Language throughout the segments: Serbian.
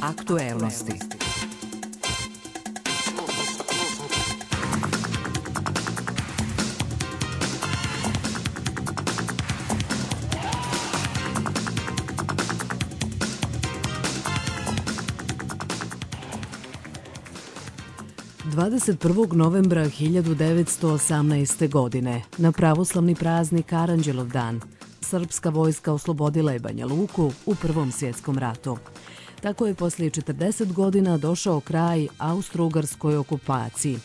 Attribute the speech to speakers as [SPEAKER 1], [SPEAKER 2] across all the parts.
[SPEAKER 1] Aktuelnosti. Dvadeset 1. novembra 1918. godine, na pravoslavni praznik Aranđelovdan, srpska vojska oslobodila je Banja Luku u Prvom svjetskom ratu. Tako je poslije 40 godina došao kraj austro-ugarskoj okupaciji,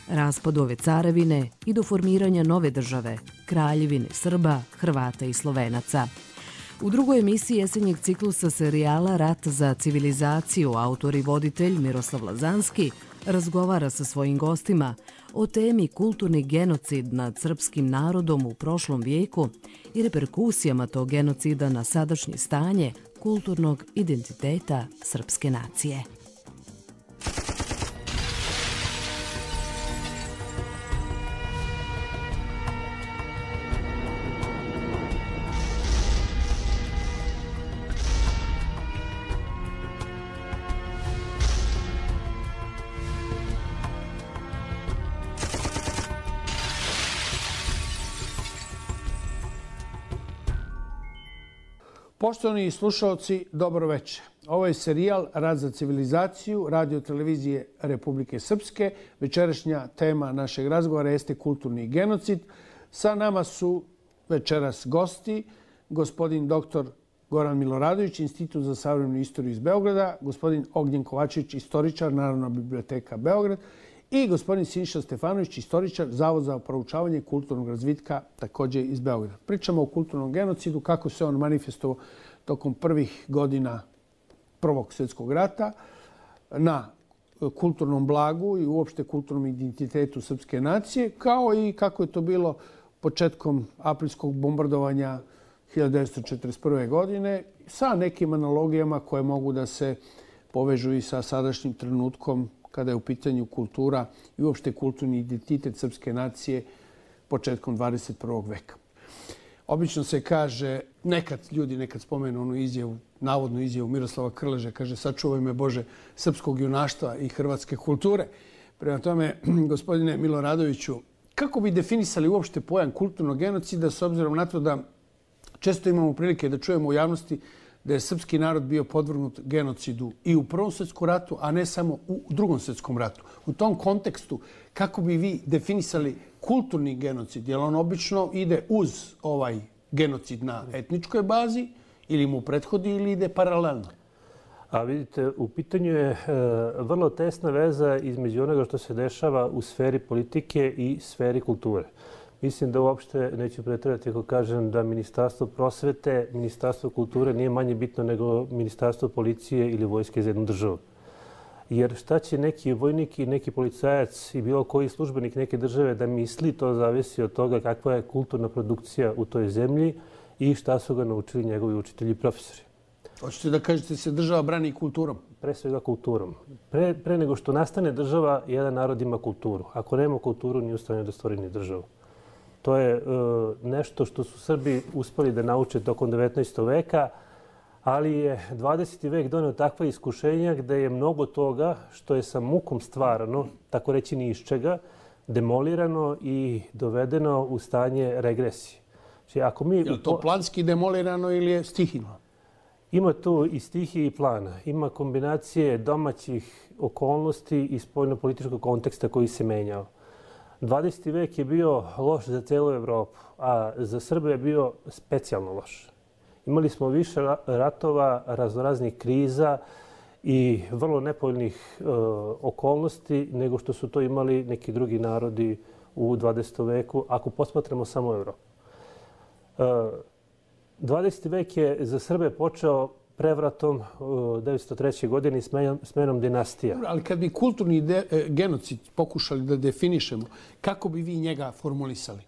[SPEAKER 1] raspadu ove carevine i do formiranja nove države, Kraljevine Srba, Hrvata i Slovenaca. U drugoj emisiji jesenjeg ciklusa serijala Rat za civilizaciju autor i voditelj Miroslav Lazanski razgovara sa svojim gostima o temi kulturni genocid nad srpskim narodom u prošlom vijeku i reperkusijama tog genocida na sadašnje stanje kulturnog identiteta srpske nacije.
[SPEAKER 2] Poštovani slušalci, dobro večer. Ovo je serijal Rat za civilizaciju radio-televizije Republike Srpske. Večerašnja tema našeg razgovora jeste kulturni genocid. Sa nama su večeras gosti, gospodin dr. Goran Miloradović, Institut za savremenu istoriju iz Beograda, gospodin Ognjen Kovačević, istoričar, Narodna biblioteka Beograd, i gospodin Siniša Stefanović, istoričar, Zavod za proučavanje kulturnog razvitka, također iz Beograda. Pričamo o kulturnom genocidu, kako se on manifestovao tokom prvih godina Prvog svjetskog rata na kulturnom blagu i uopšte kulturnom identitetu srpske nacije, kao i kako je to bilo početkom aprilskog bombardovanja 1941. godine sa nekim analogijama koje mogu da se povežu i sa sadašnjim trenutkom kada je u pitanju kultura i uopšte kulturni identitet srpske nacije početkom 21. veka. Obično se kaže, nekad spomenu onu izjavu, navodnu izjavu Miroslava Krleže, kaže sačuvaj me Bože srpskog junaštva i hrvatske kulture. Prema tome, gospodine Miloradoviću, kako bi definisali uopšte pojam kulturnog genocida s obzirom na to da često imamo prilike da čujemo u javnosti da je srpski narod bio podvrgnut genocidu i u Prvom svjetskom ratu, a ne samo u Drugom svjetskom ratu. U tom kontekstu, kako bi vi definisali kulturni genocid? Jer on obično ide uz ovaj genocid na etničkoj bazi ili mu prethodi ili ide paralelno?
[SPEAKER 3] A vidite, u pitanju je vrlo tesna veza između onoga što se dešava u sferi politike i sferi kulture. Mislim da uopšte neću pretjerati ako kažem da Ministarstvo prosvete, Ministarstvo kulture nije manje bitno nego Ministarstvo policije ili vojske za jednu državu. Jer šta će neki vojnik i neki policajac i bilo koji službenik neke države da misli, to zavisi od toga kakva je kulturna produkcija u toj zemlji i šta su ga naučili njegovi učitelji i profesori.
[SPEAKER 2] Hoćete da kažete se država brani kulturom?
[SPEAKER 3] Pre svega kulturom. Pre nego što nastane država, jedan narod ima kulturu. Ako nema kulturu, nije u stanju da stvori ni državu. To je nešto što su Srbi uspeli da nauče tokom 19. veka, ali je 20. vek doneo takva iskušenja gde je mnogo toga što je sa mukom stvarano, tako reći ni iz čega, demolirano i dovedeno u stanje regresije.
[SPEAKER 2] Je li to planski demolirano ili je stihijno?
[SPEAKER 3] Ima tu i stihije i plana. Ima kombinacije domaćih okolnosti i spoljno-političkog konteksta koji se menjao. 20. vek je bio loš za celu Evropu, a za Srbe je bio specijalno loš. Imali smo više ratova, raznoraznih kriza i vrlo nepovoljnih okolnosti nego što su to imali neki drugi narodi u 20. veku, ako posmatramo samo Evropu. 20. vek je za Srbe počeo prevratom 1903. godine i smenom dinastija.
[SPEAKER 2] Ali kad bi kulturni genocid pokušali da definišemo, kako bi vi njega formulisali?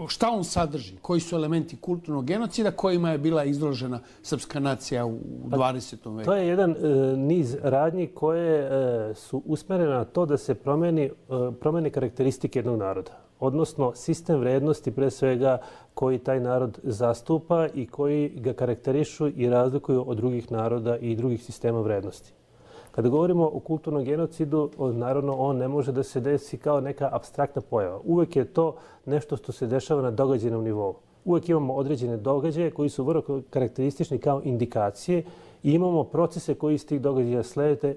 [SPEAKER 2] Šta on sadrži? Koji su elementi kulturnog genocida kojima je bila izložena srpska nacija u 20. veku?
[SPEAKER 3] To je jedan niz radnji koje su usmerene na to da se promene karakteristike jednog naroda. Odnosno sistem vrednosti pre svega koji taj narod zastupa i koji ga karakterišu i razlikuju od drugih naroda i drugih sistema vrednosti. Kada govorimo o kulturnom genocidu, naravno on ne može da se desi kao neka apstraktna pojava. Uvek je to nešto što se dešava na događajnom nivou. Uvek imamo određene događaje koji su vrlo karakteristični kao indikacije i imamo procese koji iz tih događaja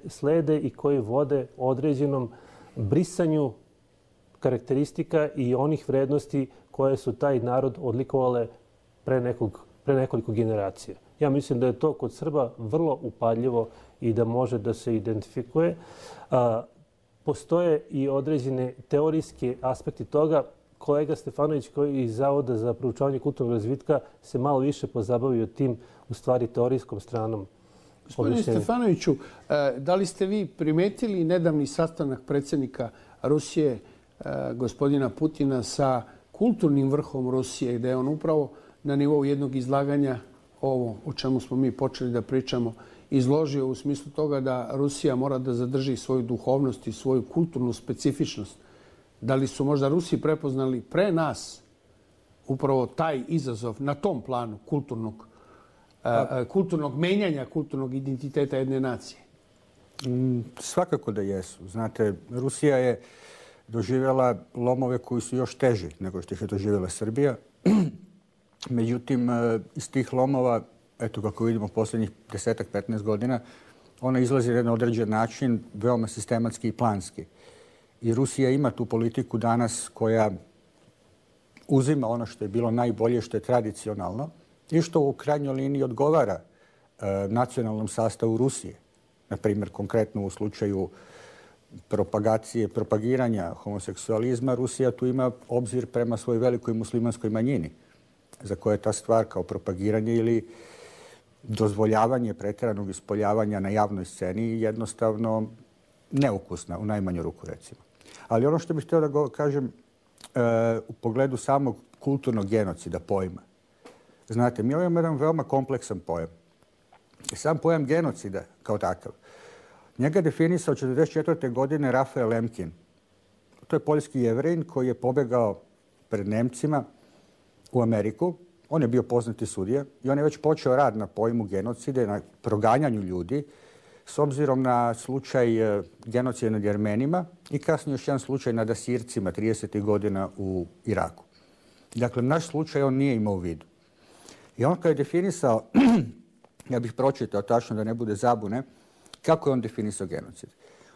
[SPEAKER 3] slede i koji vode određenom brisanju karakteristika i onih vrednosti koje su taj narod odlikovale pre nekoliko generacija. Ja mislim da je to kod Srba vrlo upadljivo i da može da se identifikuje. Postoje i određene teorijski aspekti toga. Kolega Stefanović, koji iz Zavoda za proučavanje kulturnog razvitka, se malo više pozabavio tim, u stvari, teorijskom stranom.
[SPEAKER 2] Gospodine Stefanoviću, da li ste vi primetili nedavni sastanak predsjednika Rusije, gospodina Putina, sa kulturnim vrhom Rusije, gde je on upravo na nivou jednog izlaganja, ovo o čemu smo mi počeli da pričamo, izložio u smislu toga da Rusija mora da zadrži svoju duhovnost i svoju kulturnu specifičnost. Da li su možda Rusi prepoznali pre nas upravo taj izazov na tom planu kulturnog menjanja, kulturnog identiteta jedne nacije?
[SPEAKER 4] Svakako da jesu. Znate, Rusija je doživjela lomove koji su još teži nego što ih je doživjela Srbija. Međutim, iz tih lomova, eto kako vidimo posljednjih 10-15 godina, ona izlazi na jedan određen način, veoma sistematski i planski. I Rusija ima tu politiku danas koja uzima ono što je bilo najbolje, što je tradicionalno i što u krajnjoj liniji odgovara nacionalnom sastavu Rusije. Na primjer, konkretno u slučaju propagiranja homoseksualizma, Rusija tu ima obzir prema svojoj velikoj muslimanskoj manjini, za koje je ta stvar kao propagiranje ili dozvoljavanje pretjeranog ispoljavanja na javnoj sceni jednostavno neukusna, u najmanju ruku recimo. Ali ono što bih htio da kažem u pogledu samog kulturnog genocida pojma. Znate, mi imamo jedan veoma kompleksan pojam. Sam pojam genocida kao takav, njega definisao 1944. godine Rafael Lemkin. To je poljski Jevrin koji je pobegao pred Nemcima u Ameriku. On je bio poznati sudija i on je već počeo rad na pojmu genocida, na proganjanju ljudi, s obzirom na slučaj genocida nad Jermenima i kasnije još jedan slučaj nad Asircima 30. godina u Iraku. Dakle, naš slučaj on nije imao u vidu. I on kad je definisao, ja bih pročitao tačno da ne bude zabune, kako je on definisao genocid.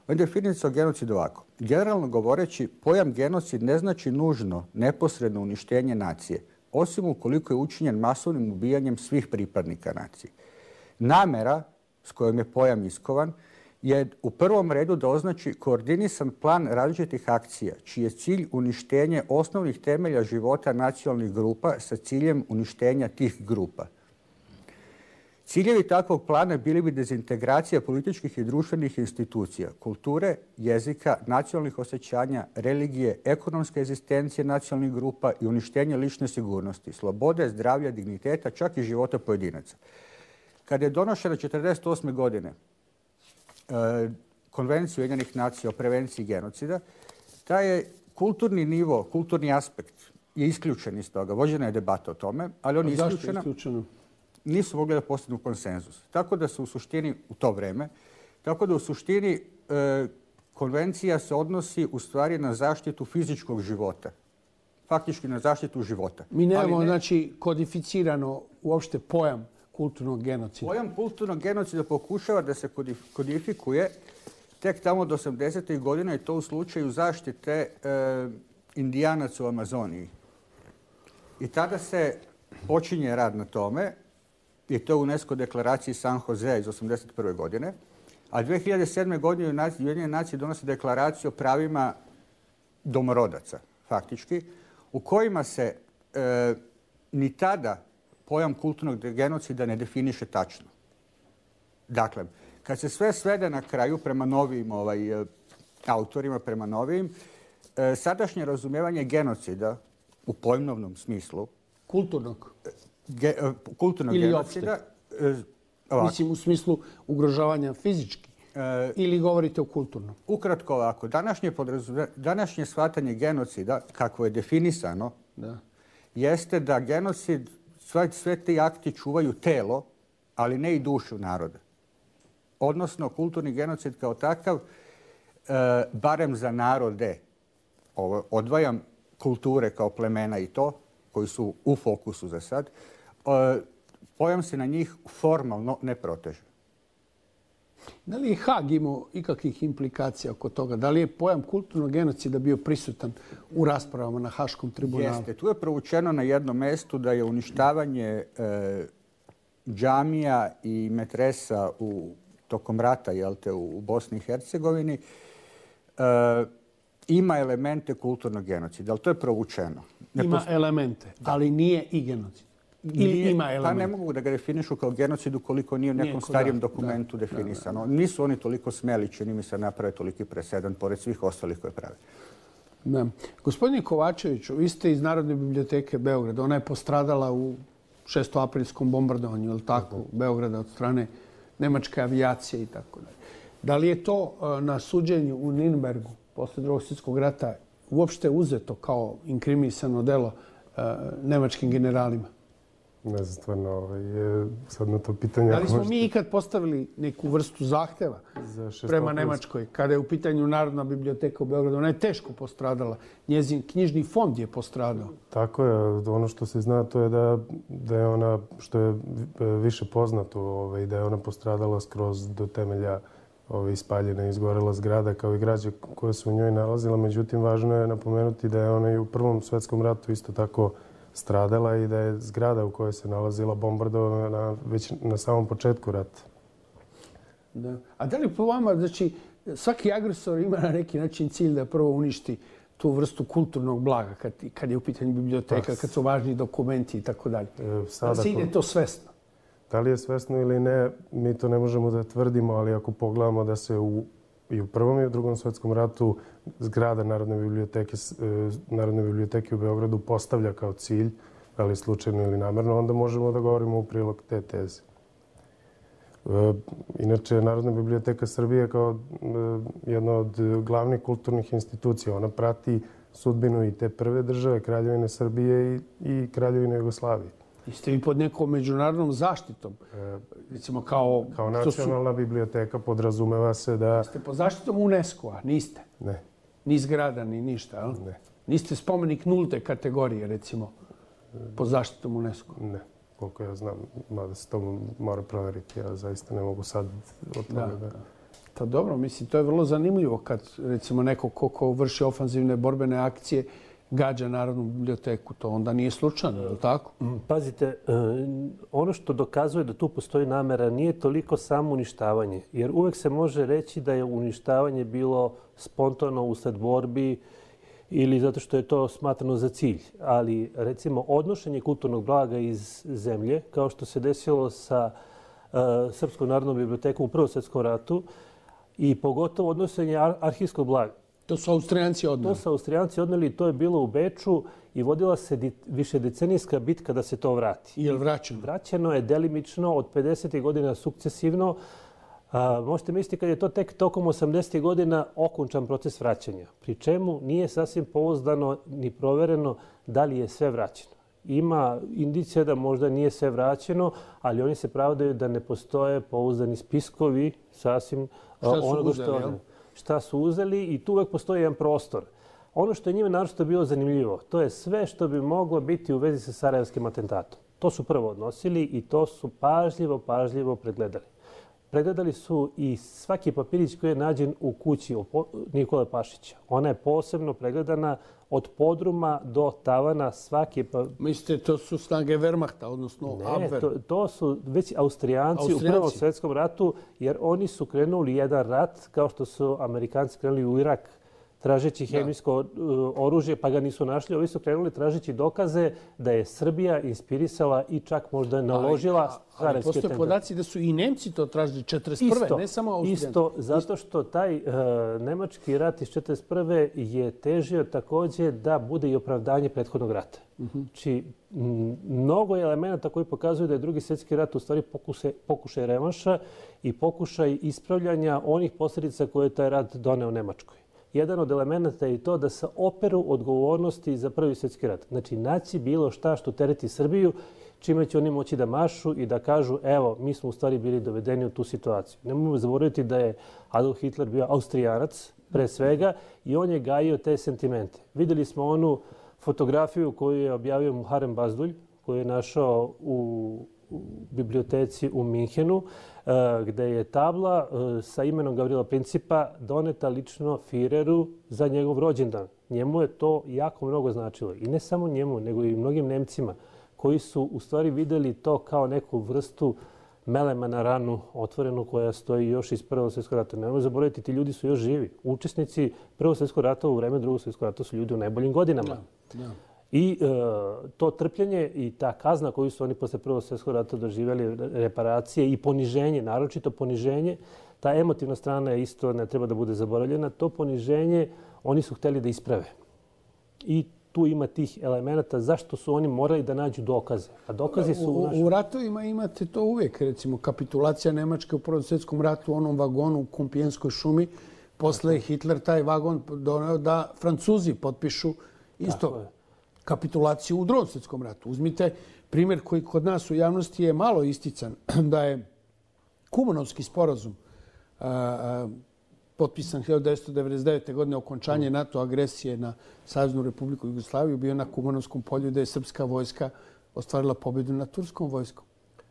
[SPEAKER 4] On je definisao genocid ovako. Generalno govoreći, pojam genocid ne znači nužno neposredno uništenje nacije, osim ukoliko je učinjen masovnim ubijanjem svih pripadnika nacije. Namera s kojom je pojam iskovan je u prvom redu da označi koordinisan plan različitih akcija, čiji je cilj uništenje osnovnih temelja života nacionalnih grupa sa ciljem uništenja tih grupa. Ciljevi takvog plana bili bi dezintegracija političkih i društvenih institucija, kulture, jezika, nacionalnih osjećanja, religije, ekonomske egzistencije nacionalnih grupa i uništenje lične sigurnosti, slobode, zdravlja, digniteta, čak i života pojedinaca. Kada je donošena 1948. godine Konvencija Ujedinjenih nacija o prevenciji genocida, taj je kulturni nivo, kulturni aspekt je isključen iz toga. Vođena je debata o tome, ali on je isključena. Nisu mogli da postignu konsenzus. Tako da se u suštini, u to vreme, tako da u suštini konvencija se odnosi u stvari na zaštitu fizičkog života. Faktički na zaštitu života.
[SPEAKER 2] Mi nemamo, znači, kodificirano uopšte pojam kulturnog genocida.
[SPEAKER 4] Pojam kulturnog genocida pokušava da se kodifikuje tek tamo od 80. godina i to u slučaju zaštite Indijanaca u Amazoniji. I tada se počinje rad na tome, i to u UNESCO deklaraciji San Jose iz 1981. godine, a 2007. godine Ujedinjene nacije donose deklaraciju o pravima domorodaca, faktički, u kojima se ni tada pojam kulturnog genocida ne definiše tačno. Dakle, kad se sve svede na kraju prema novim autorima, prema novim, sadašnje razumijevanje genocida u pojmovnom smislu
[SPEAKER 2] kulturnog
[SPEAKER 4] genocida.
[SPEAKER 2] Mislim u smislu ugrožavanja fizički ili govorite o kulturnom?
[SPEAKER 4] Ukratko ovako. Današnje shvatanje genocida, kako je definisano, jeste da genocid, sve ti akti čuvaju telo, ali ne i dušu naroda. odnosno kulturni genocid kao takav, barem za narode, odvajam kulture kao plemena i to, koji su u fokusu za sad, pojam se na njih formalno ne proteže.
[SPEAKER 2] Da li je Hag imao ikakvih implikacija oko toga? Da li je pojam kulturnog genocida bio prisutan u raspravama na Haškom tribunalu?
[SPEAKER 4] Jeste. Tu je provučeno na jednom mestu da je uništavanje džamija i metresa tokom rata u Bosni i Hercegovini ima elemente kulturnog genocida, ali to je provučeno.
[SPEAKER 2] Ima elemente, ali nije i genocid. Ili ima elemente?
[SPEAKER 4] Pa ne mogu da ga definišu kao genocid ukoliko nije u nekom starijem dokumentu definisano. Nisu oni toliko smeli, čini mi se, naprave toliki presedan, pored svih ostalih koje prave.
[SPEAKER 2] Gospodine Kovačeviću, vi ste iz Narodne biblioteke Beograda. Ona je postradala u 6. bombardovanju, ili tako, Beograda od strane nemačke avijacije i tako dalje. Da li je to na suđenju u Nürnbergu posle Drugog svjetskog rata uopšte uzeto kao inkriminisano delo nemačkim generalima?
[SPEAKER 5] Ne znam, stvarno, sad na to pitanje...
[SPEAKER 2] Da li smo mi ikad postavili neku vrstu zahteva prema Nemačkoj kada je u pitanju Narodna biblioteka u Beogradu? Ona je teško postradala. Njezin knjižni fond je postradao.
[SPEAKER 5] Tako je. Ono što se zna to je da je ona, što je više poznato, da je ona postradala skroz do temelja ispaljena i izgorela zgrada kao i građe koje su u njoj nalazila. Međutim, važno je napomenuti da je ona i u Prvom svjetskom ratu isto tako stradala i da je zgrada u kojoj se nalazila bombardovana već na samom početku rata.
[SPEAKER 2] A da li po vama, znači, svaki agresor ima na neki način cilj da prvo uništi tu vrstu kulturnog blaga kad je u pitanju biblioteka, kad su važni dokumenti i tako dalje? Da se ide to svesno?
[SPEAKER 5] Da li je svesno ili ne, mi to ne možemo da tvrdimo, ali ako pogledamo da se i u Prvom i u Drugom svjetskom ratu zgrada Narodne biblioteke u Beogradu postavlja kao cilj, da li slučajno ili namerno, onda možemo da govorimo u prilog te teze. Inače, Narodna biblioteka Srbije kao jedna od glavnih kulturnih institucija, ona prati sudbinu i te prve države, Kraljevine Srbije i Kraljevine Jugoslavije.
[SPEAKER 2] Jeste vi pod nekom međunarodnom zaštitom? Recimo kao
[SPEAKER 5] nacionalna biblioteka podrazumeva se da...
[SPEAKER 2] Jeste pod zaštitom UNESCO-a? Niste?
[SPEAKER 5] Ne.
[SPEAKER 2] Ni zgrada, ni ništa, ali?
[SPEAKER 5] Ne.
[SPEAKER 2] Niste spomenik nulte kategorije, recimo, pod zaštitom UNESCO-a?
[SPEAKER 5] Ne. Koliko ja znam, mada se to mora proveriti. Ja zaista ne mogu sad od toga da...
[SPEAKER 2] To dobro, mislim, to je vrlo zanimljivo kad, recimo, neko ko vrši ofanzivne borbene akcije gađa Narodnu biblioteku. To onda nije slučajno, je li tako?
[SPEAKER 3] Pazite, ono što dokazuje da tu postoji namera nije toliko samo uništavanje. Jer uvek se može reći da je uništavanje bilo spontano usled borbi ili zato što je to smatrano za cilj. Ali, recimo, odnošenje kulturnog blaga iz zemlje, kao što se desilo sa Srpskom narodnom bibliotekom u Prvom svjetskom ratu, i pogotovo odnošenje arhivskog blaga.
[SPEAKER 2] To su Austrijanci odneli.
[SPEAKER 3] To su Austrijanci odneli i to je bilo u Beču i vodila se višedecenijska bitka da se to vrati.
[SPEAKER 2] Je li vraćeno?
[SPEAKER 3] Vraćeno je delimično od 50. godina sukcesivno. Možete misliti kad je to tek tokom 80. godina okončan proces vraćanja. Pri čemu nije sasvim pouzdano ni provereno da li je sve vraćeno. Ima indicija da možda nije sve vraćeno, ali oni se pravdaju da ne postoje pouzdani spiskovi sasvim onoga što je šta su uzeli i tu uvek postoji jedan prostor. Ono što je njima naročito bilo zanimljivo, to je sve što bi moglo biti u vezi sa sarajevskim atentatom. To su prvo odnosili i to su pažljivo pregledali. Pregledali su i svaki papirić koji je nađen u kući Nikole Pašića. Ona je posebno pregledana od podruma do tavana svaki...
[SPEAKER 2] Mislite, to su snage Wehrmachta, odnosno Abwehr?
[SPEAKER 3] Ne, to su već Austrijanci u Prvom svjetskom ratu, jer oni su krenuli jedan rat, kao što su Amerikanci krenuli u Irak, tražeći hemijsko oružje, pa ga nisu našli. Ovi su krenuli tražeći dokaze da je Srbija inspirisala i čak možda naložila sarajevske
[SPEAKER 2] postoje podaci da su i Nemci to tražili 1941. Ne samo Austrijanci.
[SPEAKER 3] Isto, zato što taj nemački rat iz 1941. je težio također da bude i opravdanje prethodnog rata. Znači, mnogo je elemenata koji pokazuju da je Drugi svjetski rat u stvari pokušaj revanša i pokušaj ispravljanja onih posljedica koje je taj rat doneo Nemačkoj. Jedan od elemenata je to da se operu odgovornosti za Prvi svjetski rat. Znači, naći bilo šta što tereti Srbiju, čime će oni moći da mašu i da kažu evo, mi smo u stvari bili dovedeni u tu situaciju. Nemojmo zaboraviti da je Adolf Hitler bio Austrijanac, pre svega, i on je gajio te sentimente. Vidjeli smo onu fotografiju koju je objavio Muharrem Bazdulj, koju je našao u biblioteci u Minhenu, gde je tabla sa imenom Gavrila Principa doneta lično Führeru za njegov rođendan. Njemu je to jako mnogo značilo. I ne samo njemu, nego i mnogim Nemcima koji su u stvari vidjeli to kao neku vrstu melema na ranu otvorenu koja stoji još iz Prvog svjetskog rata. Nemojmo zaboraviti, ti ljudi su još živi. Učesnici Prvog svjetskog rata u vreme Drugog svjetskog rata su ljudi u najboljim godinama. I to trpljenje i ta kazna koju su oni posle Prvog svjetskog rata doživjeli, reparacije i poniženje, naročito poniženje, ta emotivna strana je isto, ne treba da bude zaboravljena, to poniženje oni su htjeli da isprave. I tu ima tih elemenata zašto su oni morali da nađu dokaze. A dokazi su
[SPEAKER 2] u ratovima imate to uvijek. Recimo, kapitulacija Nemačke u Prvom svjetskom ratu u onom vagonu u Kumpijenskoj šumi. Posle je Hitler taj vagon doneo da Francuzi potpišu isto kapitulaciju u Drugom svjetskom ratu. Uzmite primjer koji kod nas u javnosti je malo istican, da je Kumanovski sporazum potpisan 1999. godine, okončanje NATO agresije na Saveznu Republiku Jugoslaviju, bio na Kumanovskom polju da je srpska vojska ostvarila pobjedu nad turskom vojskom.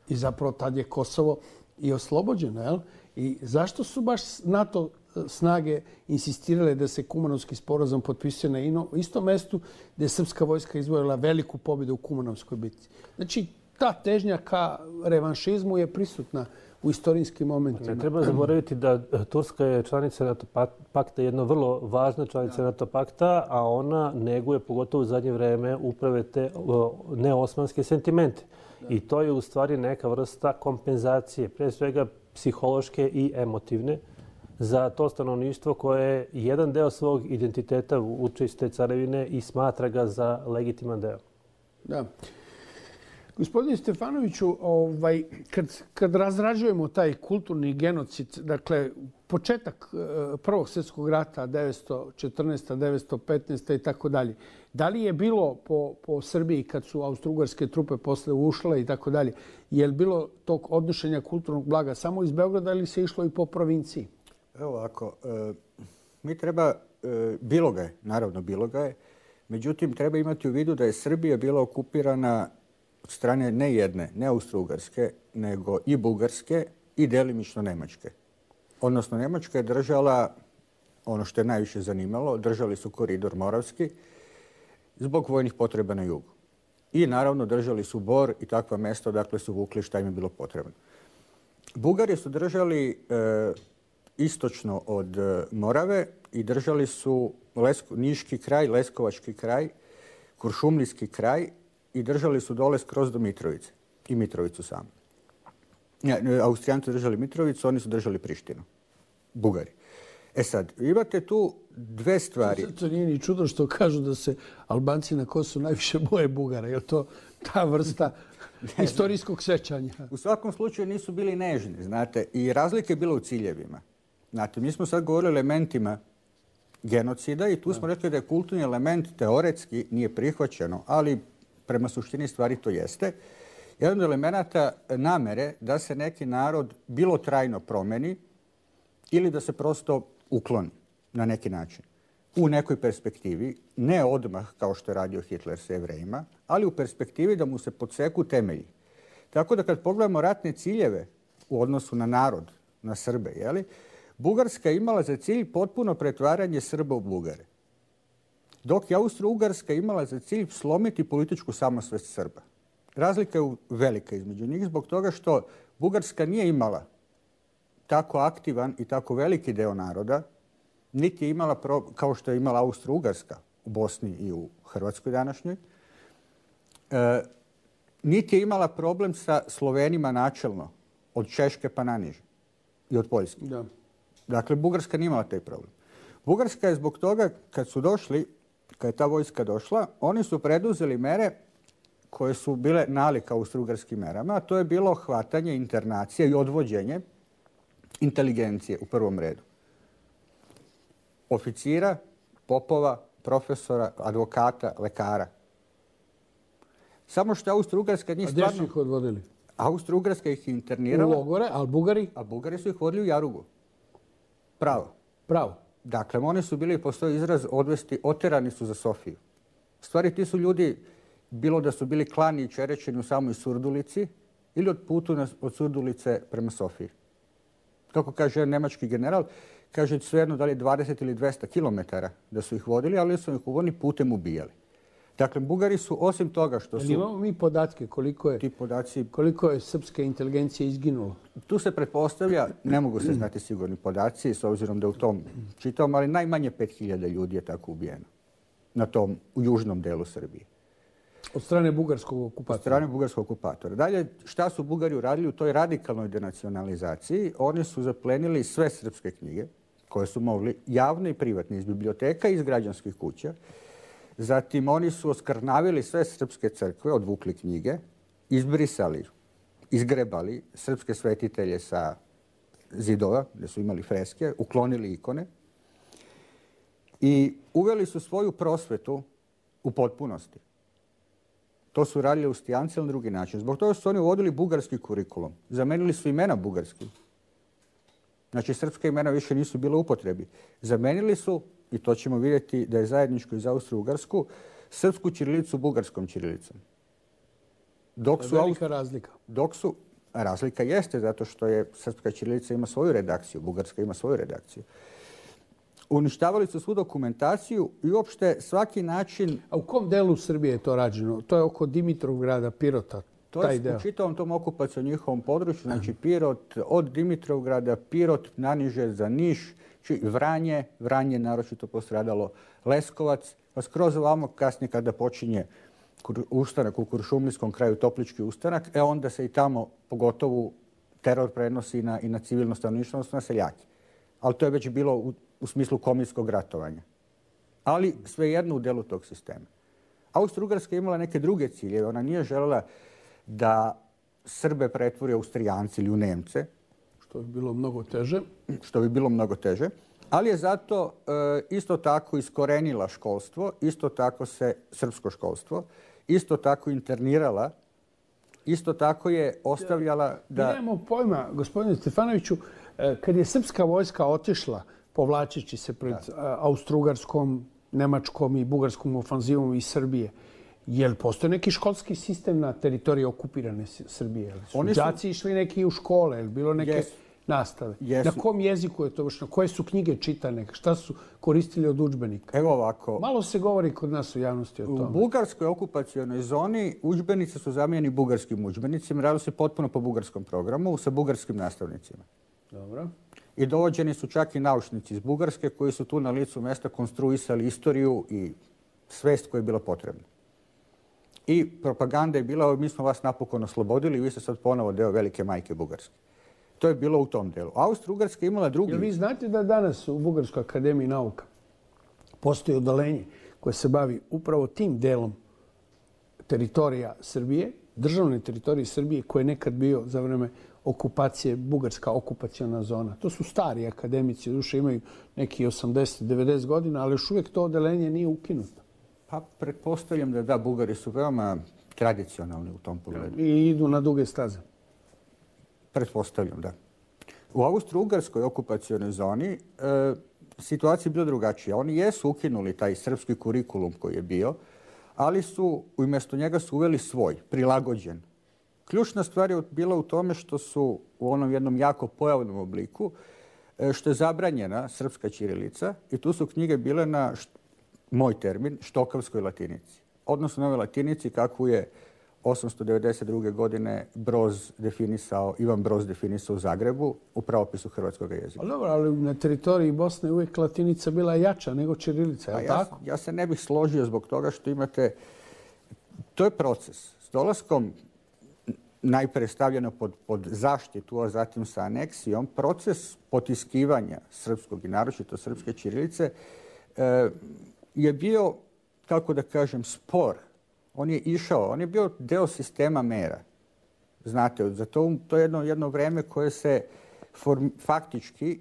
[SPEAKER 2] I zapravo tad je Kosovo i oslobođeno. Jel? I zašto su baš NATO snage insistirale da se Kumanovski sporazum potpisuje na istom mestu gdje je srpska vojska izvojila veliku pobjedu u Kumanovskoj bitci? Znači, ta težnja ka revanšizmu je prisutna u istorijskim momentima.
[SPEAKER 3] Ne treba zaboraviti da Turska je članica NATO pakta, jedna vrlo važna članica NATO pakta, a ona neguje, pogotovo u zadnje vreme, uprave te neosmanske sentimente. I to je u stvari neka vrsta kompenzacije, pre svega psihološke i emotivne, za to stanovništvo koje jedan deo svog identiteta uče iz te carevine i smatra ga za legitiman deo.
[SPEAKER 2] Da. Gospodine Stefanoviću, kad razrađujemo taj kulturni genocid, dakle, početak Prvog svjetskog rata, 1914. 1915. i tako dalje, da li je bilo po Srbiji kad su austrougarske trupe posle ušle i tako dalje, je li bilo tog odnošenja kulturnog blaga samo iz Beograda ili se išlo i po provinciji?
[SPEAKER 4] Evo ovako, mi treba, bilo ga je, naravno bilo ga je, međutim treba imati u vidu da je Srbija bila okupirana od strane ne jedne, ne Austrougarske, nego i Bugarske i delimično Nemačke. Odnosno, Nemačka je držala, ono što je najviše zanimalo, držali su koridor Moravski zbog vojnih potreba na jugu. I naravno držali su Bor i takva mesta odakle su vukli šta im je bilo potrebno. Bugari su držali istočno od Morave i držali su Niški kraj, Leskovački kraj, Kuršumlijski kraj i držali su dole skroz do Mitrovice i Mitrovicu samu. Austrijanci držali Mitrovicu, oni su držali Prištinu. Bugari. E sad, imate tu dve stvari.
[SPEAKER 2] To nije ni čudo što kažu da se Albanci na Kosovu najviše boje Bugara. Je to ta vrsta istorijskog sećanja?
[SPEAKER 4] U svakom slučaju nisu bili nežni, znate, i razlike je bilo u ciljevima. Znate, mi smo sad govorili o elementima genocida i tu smo rekli da je kulturni element teoretski nije prihvaćeno, ali prema suštini stvari to jeste. Jedan od elemenata namere da se neki narod bilo trajno promeni ili da se prosto ukloni na neki način. U nekoj perspektivi, ne odmah kao što je radio Hitler sa Jevrejima, ali u perspektivi da mu se podseku temelji. Tako da kad pogledamo ratne ciljeve u odnosu na narod, na Srbe, Bugarska je imala za cilj potpuno pretvaranje Srba u Bugare. Dok je Austro-Ugarska imala za cilj slomiti političku samosvest Srba. Razlika je velika između njih zbog toga što Bugarska nije imala tako aktivan i tako veliki deo naroda, niti je imala, kao što je imala Austro-Ugarska u Bosni i u Hrvatskoj današnjoj, niti je imala problem sa Slovenima načelno, od Češke pa naniže i od Poljske.
[SPEAKER 2] Da.
[SPEAKER 4] Dakle, Bugarska nije imala taj problem. Bugarska je zbog toga, kad su došli, kad je ta vojska došla, oni su preduzeli mere koje su bile nalik austrougarskim merama, a to je bilo hvatanje, internacija i odvođenje inteligencije u prvom redu. Oficira, popova, profesora, advokata, lekara. Samo što Austro-Ugarska njih stvarno...
[SPEAKER 2] A gdje su ih odvodili?
[SPEAKER 4] Austro-Ugarska ih internirala.
[SPEAKER 2] U logore, ali Bugari?
[SPEAKER 4] A Bugari su ih vodili u Jarugu. Pravo.
[SPEAKER 2] Pravo.
[SPEAKER 4] Dakle, oni su bili, postoji izraz, oterani su za Sofiju. U stvari, ti su ljudi, bilo da su bili klani i čerećeni u samoj Surdulici ili od putu od Surdulice prema Sofiji. Kako kaže nemački general, kaže svejedno da li je 20 ili 200 kilometara da su ih vodili, ali su ih oni putem ubijali. Dakle, Bugari su, osim toga što su...
[SPEAKER 2] Imamo mi podatke koliko je srpske inteligencije izginulo?
[SPEAKER 4] Tu se pretpostavlja, ne mogu se znati sigurni podaci, s obzirom da u tom čitam, ali najmanje 5000 ljudi je tako ubijeno u južnom delu Srbije.
[SPEAKER 2] Od strane bugarskog okupatora?
[SPEAKER 4] Od strane bugarskog okupatora. Dalje, šta su Bugari uradili u toj radikalnoj denacionalizaciji? Oni su zaplenili sve srpske knjige koje su mogli, javne i privatne, iz biblioteka i iz građanskih kuća. Zatim oni su oskrnavili sve srpske crkve, odvukli knjige, izbrisali, izgrebali srpske svetitelje sa zidova, gdje su imali freske, uklonili ikone i uveli su svoju prosvetu u potpunosti. To su radili Austrijanci na drugi način. Zbog toga su oni uvodili bugarski kurikulum. Zamenili su imena bugarskim. Znači, srpska imena više nisu bila u upotrebi. Zamenili su, i to ćemo vidjeti da je zajedničko i za Austro-Ugarsku, srpsku ćirilicu bugarskom ćirilicom.
[SPEAKER 2] Velika razlika.
[SPEAKER 4] Razlika jeste zato što je srpska ćirilica ima svoju redakciju, bugarska ima svoju redakciju. Uništavali su svu dokumentaciju i uopšte svaki način...
[SPEAKER 2] A u kom delu Srbije je to rađeno? To je oko Dimitrovgrada, Pirota, taj deo?
[SPEAKER 4] To je u čitavom tom okupacijom njihovom području, znači Pirot, od Dimitrovgrada, Pirot, naniže za Niš, Vranje naročito postradalo, Leskovac, pa skroz ovamo kasnije kada počinje ustanak u Kuršumlijskom kraju, Toplički ustanak, onda se i tamo pogotovo teror prenosi i na civilno stanovništvo, odnosno na seljake. Ali to je već bilo u smislu komitskog ratovanja. Ali svejedno u delu tog sistema. Austro-Ugarska je imala neke druge ciljeve. Ona nije željela da Srbe pretvori Austrijanci ili u Nemce.
[SPEAKER 2] Što bi bilo mnogo teže.
[SPEAKER 4] Što bi bilo mnogo teže. Ali je zato isto tako iskorenila školstvo, isto tako se srpsko školstvo, isto tako internirala, isto tako je ostavljala da...
[SPEAKER 2] Mi nemamo pojma, gospodine Stefanoviću, kad je srpska vojska otišla, povlačeći se pred Austro-Ugarskom, Nemačkom i Bugarskom ofanzivom iz Srbije, je li postoji neki školski sistem na teritoriji okupirane Srbije? Su đaci išli neki u škole? Je li bilo neke nastave? Na kom jeziku je to vršeno? Koje su knjige čitane? Šta su koristili od udžbenika?
[SPEAKER 4] Evo ovako.
[SPEAKER 2] Malo se govori kod nas u javnosti o tome.
[SPEAKER 4] U bugarskoj okupacionoj zoni udžbenici su zamijenjeni bugarskim udžbenicima. Radilo se potpuno po bugarskom programu sa bugarskim nastavnicima.
[SPEAKER 2] Dobro.
[SPEAKER 4] I dovođeni su čak i naučnici iz Bugarske koji su tu na licu mjesta konstruisali istoriju i svest koja je bila potrebna. I propaganda je bila, mi smo vas napokon oslobodili i vi ste sad ponovo deo velike majke Bugarske. To je bilo u tom delu. Austro-Ugarska je imala drugi...
[SPEAKER 2] Jel vi znate da danas u Bugarskoj akademiji nauka postoji odeljenje koje se bavi upravo tim delom teritorija Srbije, državne teritorije Srbije, koje je nekad bio za vreme okupacije, bugarska okupaciona zona. To su stari akademici, duše imaju neki 80-90 godina, ali još uvijek to odeljenje nije ukinuto.
[SPEAKER 4] Pa pretpostavljam da Bugari su veoma tradicionalni u tom pogledu.
[SPEAKER 2] I idu na duge staze.
[SPEAKER 4] Pretpostavljam, da. U Austro-Ugarskoj okupacionoj zoni situacija je bila drugačija. Oni jesu ukinuli taj srpski kurikulum koji je bio, ali su umjesto njega su uveli svoj, prilagođen. Ključna stvar je bila u tome što su u onom jednom jako pojavnom obliku, što je zabranjena srpska ćirilica i tu su knjige bile na, moj termin, štokavskoj latinici. Odnosno na ovoj latinici kakvu je 892. godine Ivan Broz definisao u Zagrebu u pravopisu hrvatskog jezika.
[SPEAKER 2] Dobro, ali na teritoriji Bosne uvijek latinica bila jača nego ćirilica, je li tako?
[SPEAKER 4] Ja se ne bih složio zbog toga što imate... To je proces. S dolaskom najpre stavljeno pod zaštitu, a zatim sa aneksijom, proces potiskivanja srpskog i naročito srpske ćirilice je bio, kako da kažem, spor. On je išao, on je bio deo sistema mera. Znate, za to je jedno vreme koje se faktički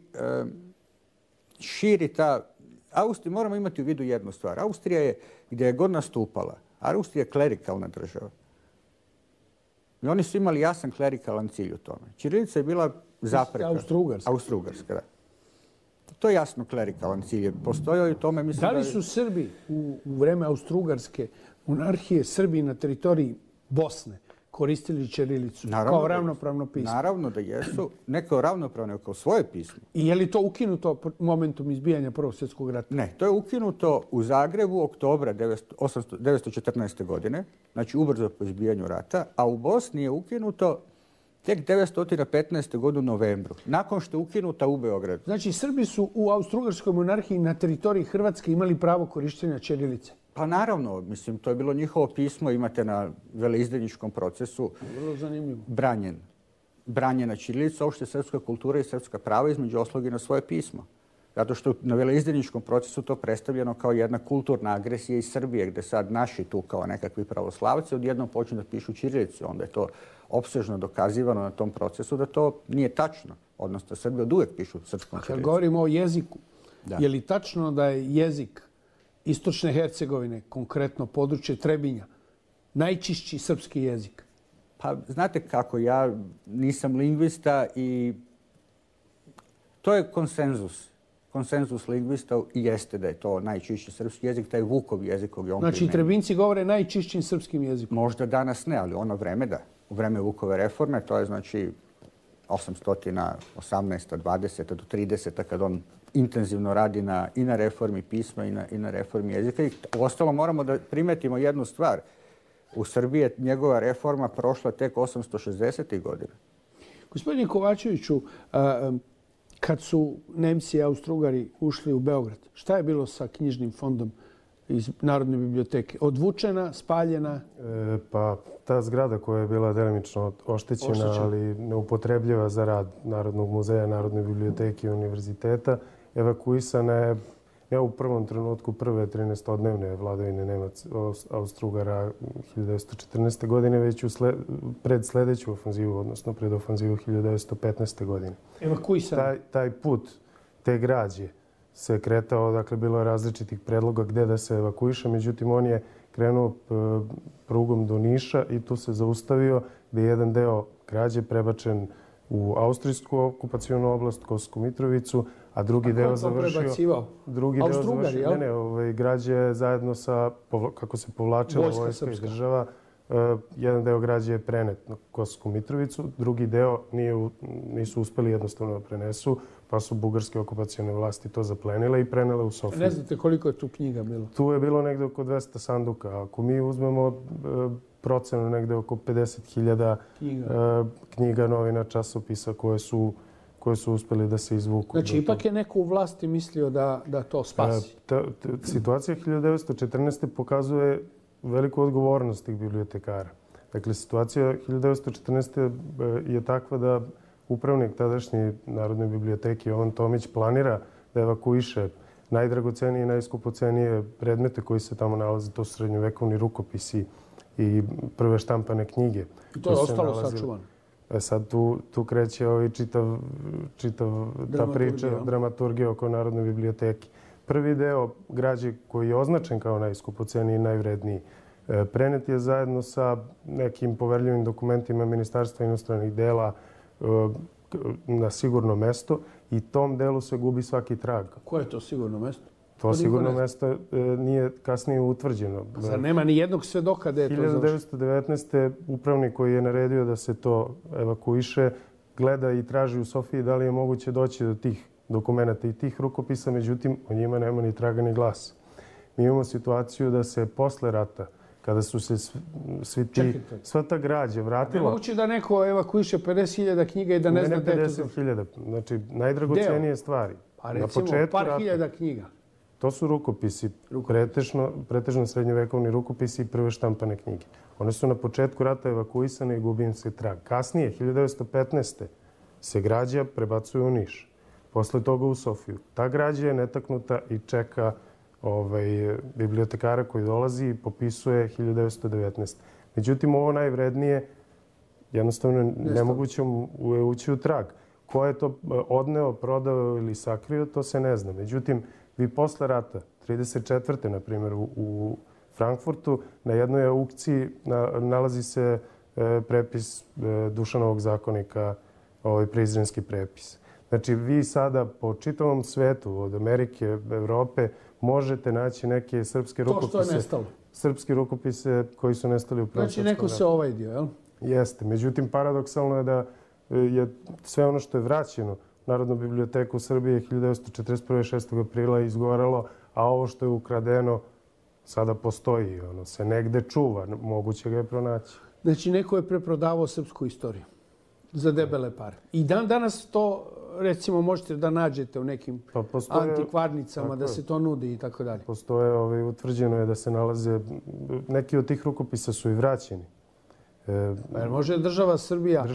[SPEAKER 4] širi ta... Austrija, moramo imati u vidu jednu stvar. Austrija je, gdje je god nastupala, Austrija je klerikalna država. I oni su imali jasan klerikalan cilj u tome. Ćirilica je bila zapreka.
[SPEAKER 2] Austro-Ugarska.
[SPEAKER 4] Austro-Ugarska, da. To je jasno klerikalan cilj. Postojao i u tome, mislim
[SPEAKER 2] da li su Srbi u vreme Austro-Ugarske monarhije, Srbi na teritoriji Bosne koristili ćirilicu kao ravnopravno pismo?
[SPEAKER 4] Naravno da jesu. Ne kao ravnopravno, kao svoje pismo.
[SPEAKER 2] I je li to ukinuto momentom izbijanja Prvog svjetskog rata?
[SPEAKER 4] Ne, to je ukinuto u Zagrebu oktobra 1914. godine, znači ubrzo po izbijanju rata, a u Bosni je ukinuto tek 1915. godine u novembru, nakon što je ukinuta u Beogradu.
[SPEAKER 2] Znači, Srbi su u Austro-Ugarskoj monarhiji na teritoriji Hrvatske imali pravo korištenja ćirilice?
[SPEAKER 4] Pa naravno, mislim, to je bilo njihovo pismo, imate na veleizdajničkom procesu.
[SPEAKER 2] Vrlo zanimljivo.
[SPEAKER 4] Branjena ćirilica, opšte srpska kultura i srpska prava, između ostalog i na svoje pismo. Zato što na veleizdajničkom procesu to predstavljeno kao jedna kulturna agresija iz Srbije, gde sad naši tu kao nekakvi pravoslavci odjednom počnu da pišu ćirilicu. Onda je to opsežno dokazivano na tom procesu da to nije tačno. Odnosno, Srbi od uvek pišu srpskom ćirilicom.
[SPEAKER 2] Kad govorimo o jeziku, je li tačno da je jezik Istočne Hercegovine, konkretno područje Trebinja, najčišći srpski jezik?
[SPEAKER 4] Pa, znate kako, ja nisam lingvista i to je konsenzus. Konsenzus lingvista i jeste da je to najčišći srpski jezik, taj Vukov jezik koji on
[SPEAKER 2] Znači, Trebinci govore najčišćim srpskim jezikom?
[SPEAKER 4] Možda danas ne, ali ono vreme da. U vreme Vukove reforme, to je znači 818. 20. do 30. kad on intenzivno radi i na reformi pisma i na reformi jezika. I uostalom moramo da primetimo jednu stvar. U Srbiji je njegova reforma prošla tek 860. godina.
[SPEAKER 2] Gospodine Kovačeviću, kad su Nemci i Austro-Ugari ušli u Beograd, šta je bilo sa knjižnim fondom iz Narodne biblioteke? Odvučena, spaljena?
[SPEAKER 5] Pa ta zgrada koja je bila delimično oštećena, ali neupotrebljiva za rad Narodnog muzeja, Narodne biblioteke i univerziteta, evakuisana je ne u prvom trenutku prve 13-odnevne vladavine Austro-Ugara 1914. godine, već pred sledeću ofanzivu, odnosno pred ofanzivu 1915. godine.
[SPEAKER 2] Evakuisana?
[SPEAKER 5] Taj put te građe se kretao, dakle, bilo je različitih predloga gde da se evakuiše, međutim, on je krenuo prugom do Niša i tu se zaustavio gde je jedan deo građe prebačen u austrijsku okupacionu oblast, Kosovsku Mitrovicu, a drugi deo završio...
[SPEAKER 2] Austro-Ugari, jel?
[SPEAKER 5] Ne, građe je zajedno sa, kako se povlačila vojska iz država, jedan deo građe je prenet na Kosovsku Mitrovicu, drugi deo nisu uspeli jednostavno da prenesu, pa su bugarske okupacione vlasti to zaplenile i prenele u Sofiju.
[SPEAKER 2] Ne znate koliko je tu knjiga bilo?
[SPEAKER 5] Tu je bilo negde oko 200 sanduka. Ako mi uzmemo procenu negde oko 50.000 knjiga, novina, časopisa koje su uspeli da se izvuku.
[SPEAKER 2] Znači, ipak je neko u vlasti mislio da to spasi?
[SPEAKER 5] Situacija 1914. pokazuje veliku odgovornost tih bibliotekara. Dakle, situacija 1914. je takva da upravnik tadašnje Narodne biblioteke Jovan Tomić planira da evakuiše najdragocenije i najskupocenije predmete koji se tamo nalaze. To su srednjovekovni rukopisi i prve štampane knjige.
[SPEAKER 2] I to je ostalo sačuvano?
[SPEAKER 5] Sad tu kreće čitav ta priča, dramaturgija oko Narodne biblioteke. Prvi deo građe koji je označen kao najskupoceniji i najvredniji prenet je zajedno sa nekim poverljivim dokumentima Ministarstva inostranih dela na sigurno mesto i tom delu se gubi svaki trag.
[SPEAKER 2] Koje je to sigurno mesto?
[SPEAKER 5] To sigurno mesto nije kasnije utvrđeno.
[SPEAKER 2] Zar nema ni jednog svedoka da je to završeno?
[SPEAKER 5] 1919. upravnik koji je naredio da se to evakuiše gleda i traži u Sofiji da li je moguće doći do tih dokumenta i tih rukopisa, međutim o njima nema ni traga ni glasa. Mi imamo situaciju da se posle rata, kada su se sva ta građa vratila...
[SPEAKER 2] Ne moguće da neko evakuiše 50.000 knjiga i da ne zna gde je to završeno?
[SPEAKER 5] 50.000, znači najdragocenije stvari.
[SPEAKER 2] Pa recimo par hiljada knjiga.
[SPEAKER 5] To su rukopisi, pretežno srednjovekovni rukopisi i prve štampane knjige. One su na početku rata evakuisane i gubi im se trag. Kasnije, 1915. se građa prebacuje u Niš. Posle toga u Sofiju. Ta građa je netaknuta i čeka bibliotekara koji dolazi i popisuje 1919. Međutim, ovo najvrednije jednostavno nemoguće ući u trag. Ko je to odneo, prodao ili sakrio, to se ne zna. Međutim, vi posle rata, 1934. na primjer u Frankfurtu, na jednoj aukciji nalazi se prepis Dušanovog zakonika, prizrenski prepis. Znači, vi sada po čitavom svetu, od Amerike, Evrope, možete naći neke srpske rukopise.
[SPEAKER 2] To što je nestalo.
[SPEAKER 5] Srpske rukopise koji su nestali u Prvom svjetskom ratu.
[SPEAKER 2] Znači, neko se ovajdio, jel?
[SPEAKER 5] Jeste. Međutim, paradoksalno je da je sve ono što je vraćeno u Narodnu biblioteku Srbije 1941. 6. aprila izgorelo, a ovo što je ukradeno sada postoji. Ono se negde čuva. Moguće ga je pronaći.
[SPEAKER 2] Znači, neko je preprodavao srpsku istoriju za debele pare. I danas to, recimo, možete da nađete u nekim antikvarnicama, da se to nudi i tako dalje.
[SPEAKER 5] Postoje, utvrđeno je da se nalaze, neki od tih rukopisa su i vraćeni.
[SPEAKER 2] Može država Srbija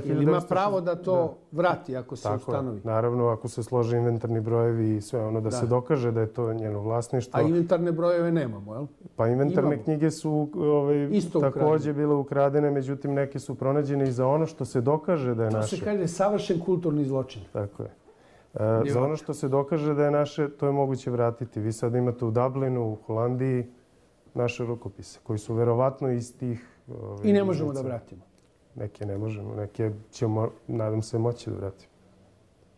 [SPEAKER 2] ili ima pravo da to vrati ako se ustanovi?
[SPEAKER 5] Naravno, ako se slože inventarni brojevi i sve ono, da se dokaže da je to njeno vlasništvo.
[SPEAKER 2] A inventarne brojeve nemamo, jel?
[SPEAKER 5] Pa inventarne knjige su također bile ukradene, međutim neke su pronađene i za ono što se dokaže da je naše.
[SPEAKER 2] To se kaže savršen kulturni zločin.
[SPEAKER 5] Tako je. Za ono što se dokaže da je naše, to je moguće vratiti. Vi sad imate u Dublinu, u Holandiji, naše rukopise, koji su verovatno iz tih...
[SPEAKER 2] I ne možemo da vratimo?
[SPEAKER 5] Neke ne možemo, neke ćemo, nadam se, moći da vratimo.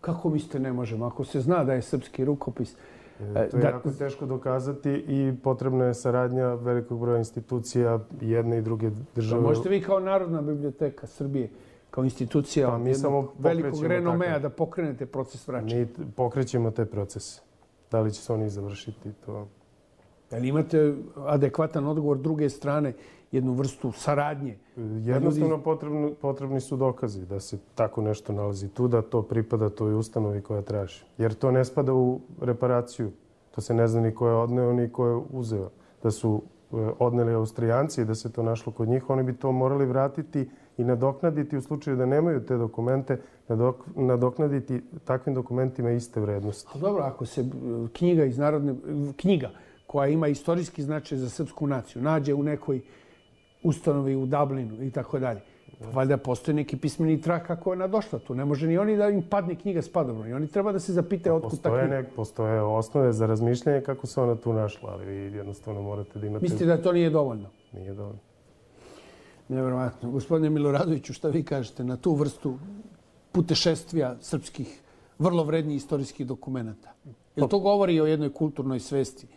[SPEAKER 2] Kako mislite ne možemo? Ako se zna da je srpski rukopis...
[SPEAKER 5] To je jako teško dokazati i potrebna je saradnja velikog broja institucija jedne i druge države.
[SPEAKER 2] Možete vi kao Narodna biblioteka Srbije, kao institucija velikog renomea da pokrenete proces vraćanja?
[SPEAKER 5] Mi pokrećemo te procese. Da li će se oni završiti, to...
[SPEAKER 2] Ali imate adekvatan odgovor druge strane, jednu vrstu saradnje?
[SPEAKER 5] Jednostavno potrebni su dokazi da se tako nešto nalazi tu, da to pripada toj ustanovi koja traži. Jer to ne spada u reparaciju. To se ne zna ni ko je odneo, ni ko je uzeo. Da su odneli Austrijanci i da se to našlo kod njih, oni bi to morali vratiti i nadoknaditi u slučaju da nemaju te dokumente, nadoknaditi takvim dokumentima iste vrednosti.
[SPEAKER 2] Dobro, ako se knjiga koja ima istorijski značaj za srpsku naciju, nađe u nekoj ustanovi u Dublinu i tako dalje. Valjda postoji neki pismeni trag kako je ona došla tu. Ne može ni oni da im padne knjiga s padobrom. I oni treba da se zapite otkud ta knjiga.
[SPEAKER 5] Postoje osnove za razmišljanje kako se ona tu našla, ali vi jednostavno morate da imate...
[SPEAKER 2] Mislite da to nije dovoljno?
[SPEAKER 5] Nije dovoljno.
[SPEAKER 2] Nevjerovatno. Gospodine Miloradoviću, šta vi kažete na tu vrstu putešestvija srpskih vrlo vrednih istorijskih dokumenta? Jel to govori o jednoj kulturnoj svesti?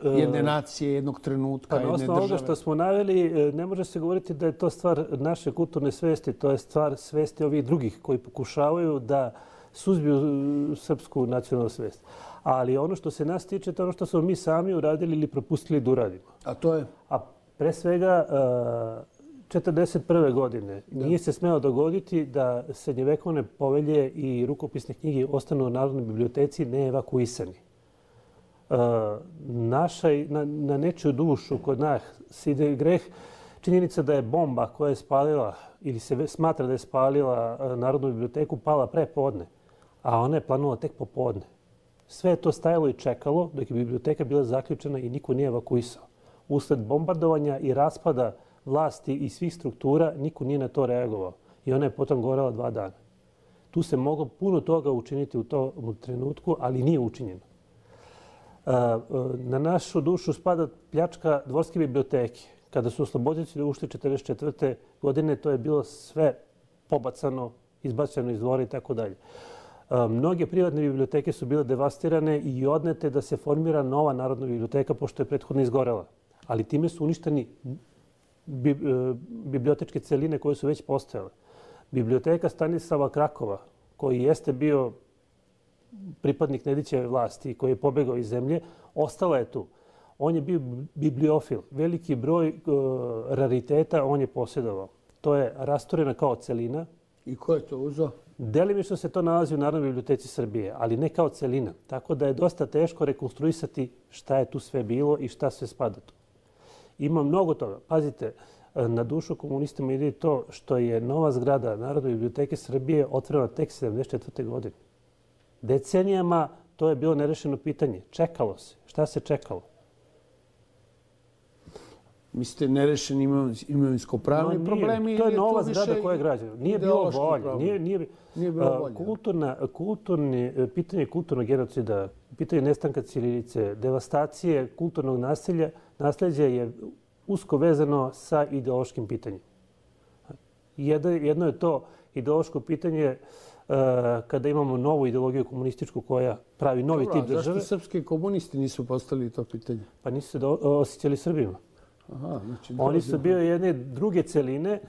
[SPEAKER 2] Jedne nacije, jednog trenutka, jedne države.
[SPEAKER 3] Na osnovu ovoga što smo naveli, ne može se govoriti da je to stvar naše kulturne svesti, to je stvar svesti ovih drugih koji pokušavaju da suzbiju srpsku nacionalnu svest. Ali ono što se nas tiče, to je ono što smo mi sami uradili ili propustili da uradimo.
[SPEAKER 2] A to je?
[SPEAKER 3] A pre svega, 1941. godine nije se smelo dogoditi da srednjevekovne povelje i rukopisne knjige ostanu u Narodnoj biblioteci neevakuisani. Na nečiju dušu kod nas ide greh činjenica da je bomba koja je spalila ili se smatra da je spalila Narodnu biblioteku pala pre podne, a ona je planula tek popodne. Sve je to stajalo i čekalo dok je biblioteka bila zaključena i niko nije evakuisao. Usled bombardovanja i raspada vlasti i svih struktura niko nije na to reagovao i ona je potom gorela 2 dana. Tu se moglo puno toga učiniti u tom trenutku, ali nije učinjeno. Na našu dušu spada pljačka dvorske biblioteke. Kada su osloboditelji ušli 1944. godine, to je bilo sve pobacano, izbačeno iz dvora i tako dalje. Mnoge privatne biblioteke su bile devastirane i odnete da se formira nova Narodna biblioteka pošto je prethodno izgorela. Ali time su uništeni bibliotečke celine koje su već postojale. Biblioteka Stanislava Krakova, koji jeste bio pripadnik Nedićeve vlasti i koji je pobegao iz zemlje, ostala je tu. On je bio bibliofil. Veliki broj rariteta on je posjedovao. To je rasturena kao celina.
[SPEAKER 2] I ko je to uzeo?
[SPEAKER 3] Delimično se to nalazi u Narodnoj biblioteci Srbije, ali ne kao celina. Tako da je dosta teško rekonstruisati šta je tu sve bilo i šta sve spada tu. Ima mnogo toga. Pazite, na dušu komunistima ide to što je nova zgrada Narodne biblioteke Srbije otvorena tek 1974. godine. Decenijama to je bilo nerešeno pitanje. Čekalo se. Šta se čekalo?
[SPEAKER 2] Mislite nerešeni imovinsko-pravni problemi?
[SPEAKER 3] To je nova zgrada koja je građena. Nije bilo volje. Nije bilo volje. Pitanje kulturnog genocida, pitanje nestanka ćirilice, devastacije kulturnog nasljeđa je usko vezano sa ideološkim pitanjem. Jedno je to ideološko pitanje kada imamo novu ideologiju komunističku koja pravi novi tip države.
[SPEAKER 2] Zašto srpski komunisti nisu postavili to pitanje?
[SPEAKER 3] Pa nisu se osjećali Srbima.
[SPEAKER 2] Aha, znači,
[SPEAKER 3] oni su bio jedne druge celine.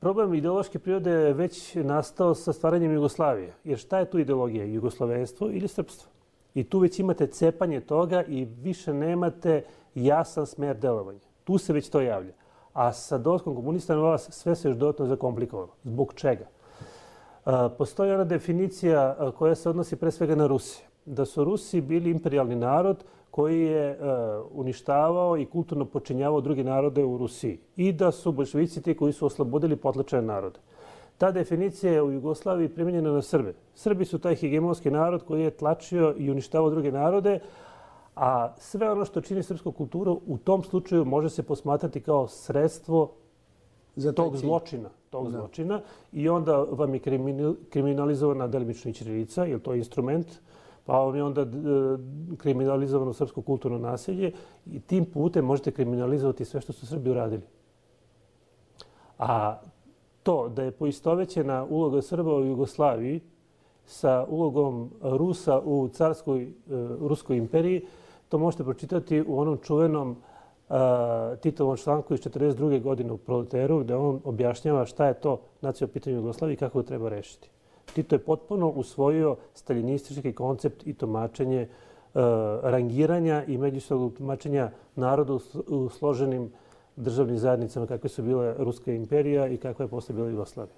[SPEAKER 3] Problem ideološke prirode je već nastao sa stvaranjem Jugoslavije. Jer šta je tu ideologija? Jugoslavenstvo ili srpstvo? I tu već imate cepanje toga i više nemate jasan smer delovanja. Tu se već to javlja. A sa dolaskom komunista na vlast sve se još dodatno zakomplikovalo. Zbog čega? Postoji ona definicija koja se odnosi pre svega na Rusiju. Da su Rusi bili imperijalni narod koji je uništavao i kulturno počinjavao druge narode u Rusiji. I da su bolševici ti koji su oslobodili potlačene narode. Ta definicija je u Jugoslaviji primjenjena na Srbe. Srbi su taj hegemonski narod koji je tlačio i uništavao druge narode, a sve ono što čini srpsku kulturu u tom slučaju može se posmatrati kao sredstvo tog zločina. I onda vam je kriminalizovana delimično i ćirilica, jer to je instrument, pa vam je onda kriminalizovano srpsko kulturno naselje i tim putem možete kriminalizovati sve što su Srbi uradili. A to da je poistovećena uloga Srba u Jugoslaviji sa ulogom Rusa u carskoj Ruskoj imperiji, to možete pročitati u onom čuvenom Titovom članku iz 1942. godine u Proleteru, gde on objašnjava šta je to nacionalno pitanje u Jugoslaviji i kako ga treba rešiti. Tito je potpuno usvojio staljinistički koncept i tumačenje rangiranja i međusobnog tumačenja naroda u složenim državnim zajednicama kakve su bile Ruska imperija i kakva je posle bila Jugoslavija.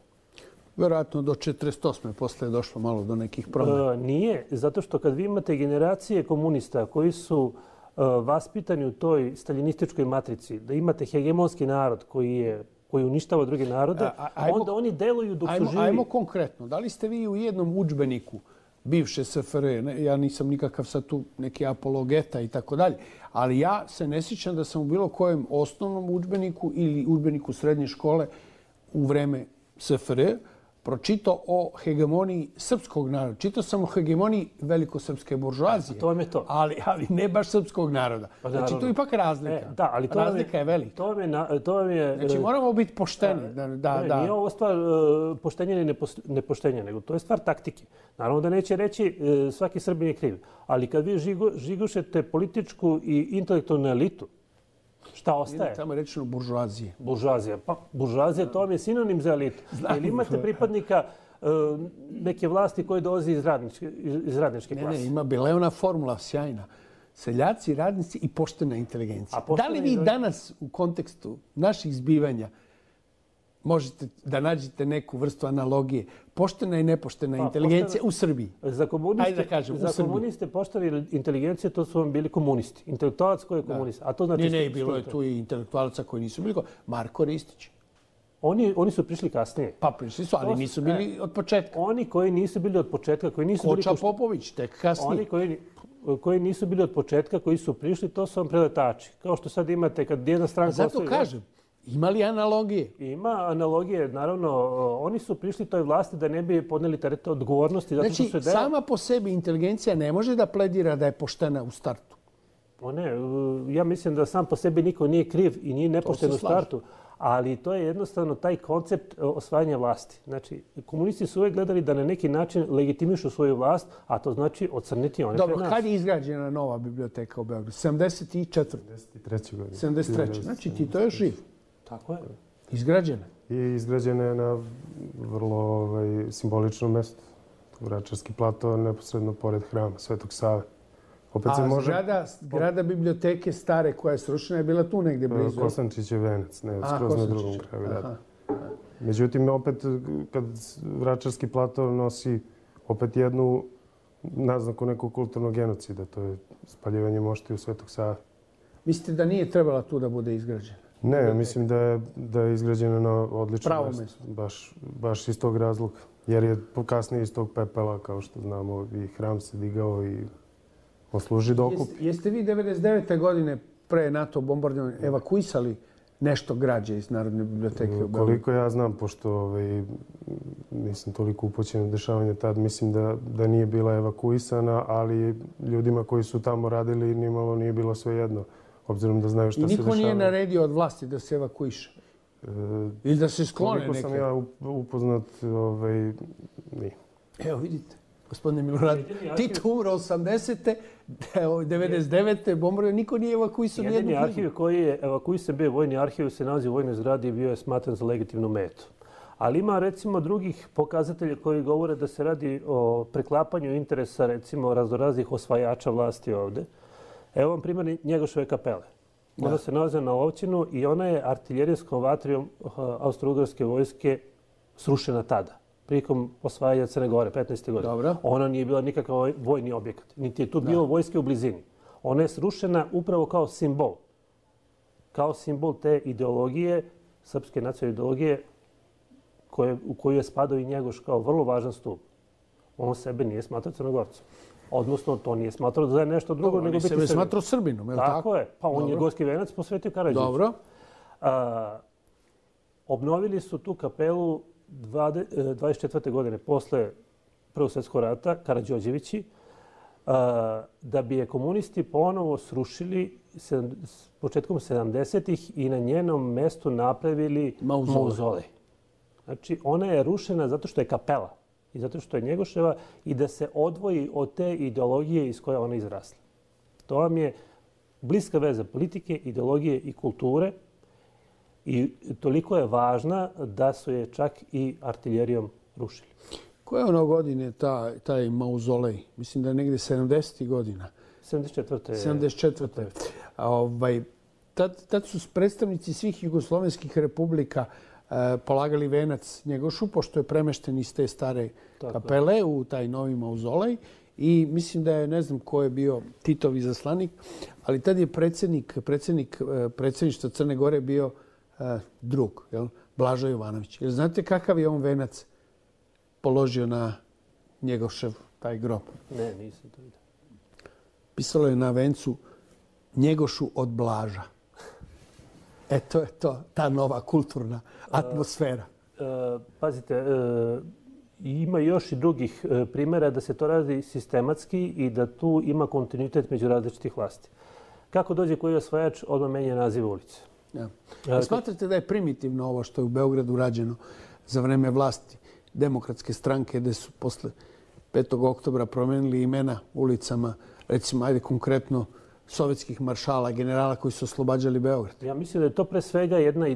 [SPEAKER 2] Vjerojatno do 1948. posle je došlo malo do nekih promjena.
[SPEAKER 3] Nije, zato što kad vi imate generacije komunista koji su vaspitani u toj staljinističkoj matrici, da imate hegemonski narod koji uništava druge narode, onda oni deluju dok su živi.
[SPEAKER 2] Ajmo konkretno. Da li ste vi u jednom udžbeniku bivše SFRJ, ja nisam nikakav sad tu neki apologeta i tako dalje, ali ja se ne sjećam da sam u bilo kojem osnovnom udžbeniku ili udžbeniku srednje škole u vreme SFRJ pročitao o hegemoniji srpskog naroda. Čitao sam o hegemoniji velikosrpske buržoazije.
[SPEAKER 3] To je to.
[SPEAKER 2] Ali ne baš srpskog naroda. Znači, tu je ipak razlika.
[SPEAKER 3] Da, ali
[SPEAKER 2] razlika je velika.
[SPEAKER 3] To je...
[SPEAKER 2] Znači, moramo biti pošteni.
[SPEAKER 3] Nije ovo stvar poštenja ili nepoštenja, nego to je stvar taktike. Naravno da neće reći svaki Srbin je kriv. Ali kad vi žigošete političku i intelektualnu elitu, šta ostaje?
[SPEAKER 2] Tamo je rečeno buržoazije.
[SPEAKER 3] Buržoazija. Pa buržoazija, to vam je sinonim za elitu. Ili imate pripadnika neke vlasti koji dolazi iz radničke klase?
[SPEAKER 2] Ne, ima bila formula sjajna. Seljaci, radnici i poštena inteligencija. Da li vi danas u kontekstu naših zbivanja možete da nađete neku vrstu analogije? Poštena i nepoštena inteligencija u Srbiji.
[SPEAKER 3] Za komuniste poštena inteligencija, to su vam bili komunisti. Intelektualac koji je komunista.
[SPEAKER 2] Ne, bilo je tu i intelektualaca koji nisu bili. Marko Ristić.
[SPEAKER 3] Oni su prišli kasnije.
[SPEAKER 2] Pa prišli su, ali nisu bili od početka.
[SPEAKER 3] Oni koji nisu bili od početka, koji nisu bili...
[SPEAKER 2] Koča Popović, tek kasnije.
[SPEAKER 3] Oni koji nisu bili od početka, koji su prišli, to su vam preletači. Kao što sad imate kad jedna stranka...
[SPEAKER 2] Zato kažem. Ima li analogije?
[SPEAKER 3] Ima analogije, naravno. Oni su prišli toj vlasti da ne bi podneli teret odgovornosti.
[SPEAKER 2] Znači, sama po sebi inteligencija ne može da pledira da je poštena u startu.
[SPEAKER 3] Ja mislim da sam po sebi niko nije kriv i nije nepošten u startu. Ali to je jednostavno taj koncept osvajanja vlasti. Znači, komunisti su uvijek gledali da na neki način legitimišu svoju vlast, a to znači ocrniti one pred nas.
[SPEAKER 2] Dobro, kad je izgrađena nova biblioteka u Beogradu? 74.
[SPEAKER 5] 73. godine.
[SPEAKER 2] 73. Znači, Tito je živ.
[SPEAKER 3] Tako je.
[SPEAKER 2] Izgrađena.
[SPEAKER 5] I izgrađena je na vrlo simboličnom mjestu. Vračarski plato, neposredno pored hrama Svetog Save.
[SPEAKER 2] Zgrada biblioteke stare koja je srušena je bila tu negdje blizu.
[SPEAKER 5] Kosančićev venac, ne, skroz na drugom kraju. Međutim, opet, kad Vračarski plato nosi opet jednu naznaku nekog kulturnog genocida, to je spaljivanje moštiju Svetog Save.
[SPEAKER 2] Mislite da nije trebala tu da bude izgrađena?
[SPEAKER 5] Ne, mislim da je izgrađena na odlično mjesto. Baš iz tog razloga. Jer je kasnije iz tog pepela, kao što znamo, i hram se digao i posluži da okupi.
[SPEAKER 2] Jeste vi 99. godine pre NATO bombardovanja evakuisali nešto građe iz Narodne biblioteke u Beogradu?
[SPEAKER 5] Koliko ja znam, pošto nisam toliko upućen u dešavanje tad, mislim da nije bila evakuisana, ali ljudima koji su tamo radili nimalo nije bilo sve jedno, obzirom da znaju šta se dešava.
[SPEAKER 2] I niko nije naredio od vlasti da se evakuiše? Ili da se sklone
[SPEAKER 5] koliko sam ja upoznat, nije.
[SPEAKER 2] Evo vidite, gospodine Milorad, Tito umro 80. 99. bombarduje, niko nije evakuisao nijednu
[SPEAKER 3] knjigu. Jedini arhiv koji je evakuisan bio vojni arhiv se nalazi u vojnoj zgradi i bio je smatran za legitimnu metu. Ali ima recimo drugih pokazatelja koji govore da se radi o preklapanju interesa recimo raznoraznih osvajača vlasti ovde. Evo vam primjer Njegoševe kapele. Ona se nalazi na Ovćinu i ona je artiljerijskom vatrijom austro-ugarske vojske srušena tada, prilikom osvajanja Crne Gore, 15. godine.
[SPEAKER 2] Dobro.
[SPEAKER 3] Ona nije bila nikakav vojni objekat, niti je tu bilo vojske u blizini. Ona je srušena upravo kao simbol. Kao simbol te ideologije, srpske nacionalne ideologije, u koju je spadao i Njegoš kao vrlo važan stup. On sebe nije smatrao Crnogorcem. Odnosno, to nije smatrao da je nešto drugo nego biti Srbin.
[SPEAKER 2] On sebe smatrao Srbinom, je li tako?
[SPEAKER 3] Tako je. Pa on je gorski venac posvetio Karađorđeviću.
[SPEAKER 2] Dobro.
[SPEAKER 3] Obnovili su tu kapelu 24. godine posle Prvog svjetskog rata, Karađorđevići, da bi je komunisti ponovo srušili početkom 70-ih i na njenom mestu napravili mauzolej. Znači, ona je rušena zato što je kapela i zato što je Njegoševa i da se odvoji od te ideologije iz koje ona izrasla. To vam je bliska veza politike, ideologije i kulture i toliko je važna da su je čak i artiljerijom rušili.
[SPEAKER 2] Koje je ono godine taj mauzolej? Mislim da je negdje 70. godina.
[SPEAKER 3] 74.
[SPEAKER 2] 74. Tad su predstavnici svih jugoslovenskih republika polagali venac Njegošu, pošto je premešten iz te stare kapele u taj novi mauzolej. I mislim da je, ne znam ko je bio Titov izaslanik, ali tad je predsjedništva Crne Gore bio drug, Blažo Jovanović. Jer znate kakav je on venac položio na Njegošev taj grob?
[SPEAKER 3] Ne, nisam to vidio.
[SPEAKER 2] Pisalo je na vencu Njegošu od Blaža. To je to, ta nova kulturna atmosfera.
[SPEAKER 3] Pazite, ima još i drugih primjera da se to radi sistematski i da tu ima kontinuitet među različitih vlasti. Kako dođe koji osvajač, odmah menja naziv ulice.
[SPEAKER 2] Smatrate da je primitivno ovo što je u Beogradu rađeno za vreme vlasti Demokratske stranke, gde su posle 5. oktobra promenili imena ulicama, recimo, ajde konkretno, sovjetskih maršala, generala koji su oslobađali Beograd?
[SPEAKER 3] Ja mislim da je to pre svega jedna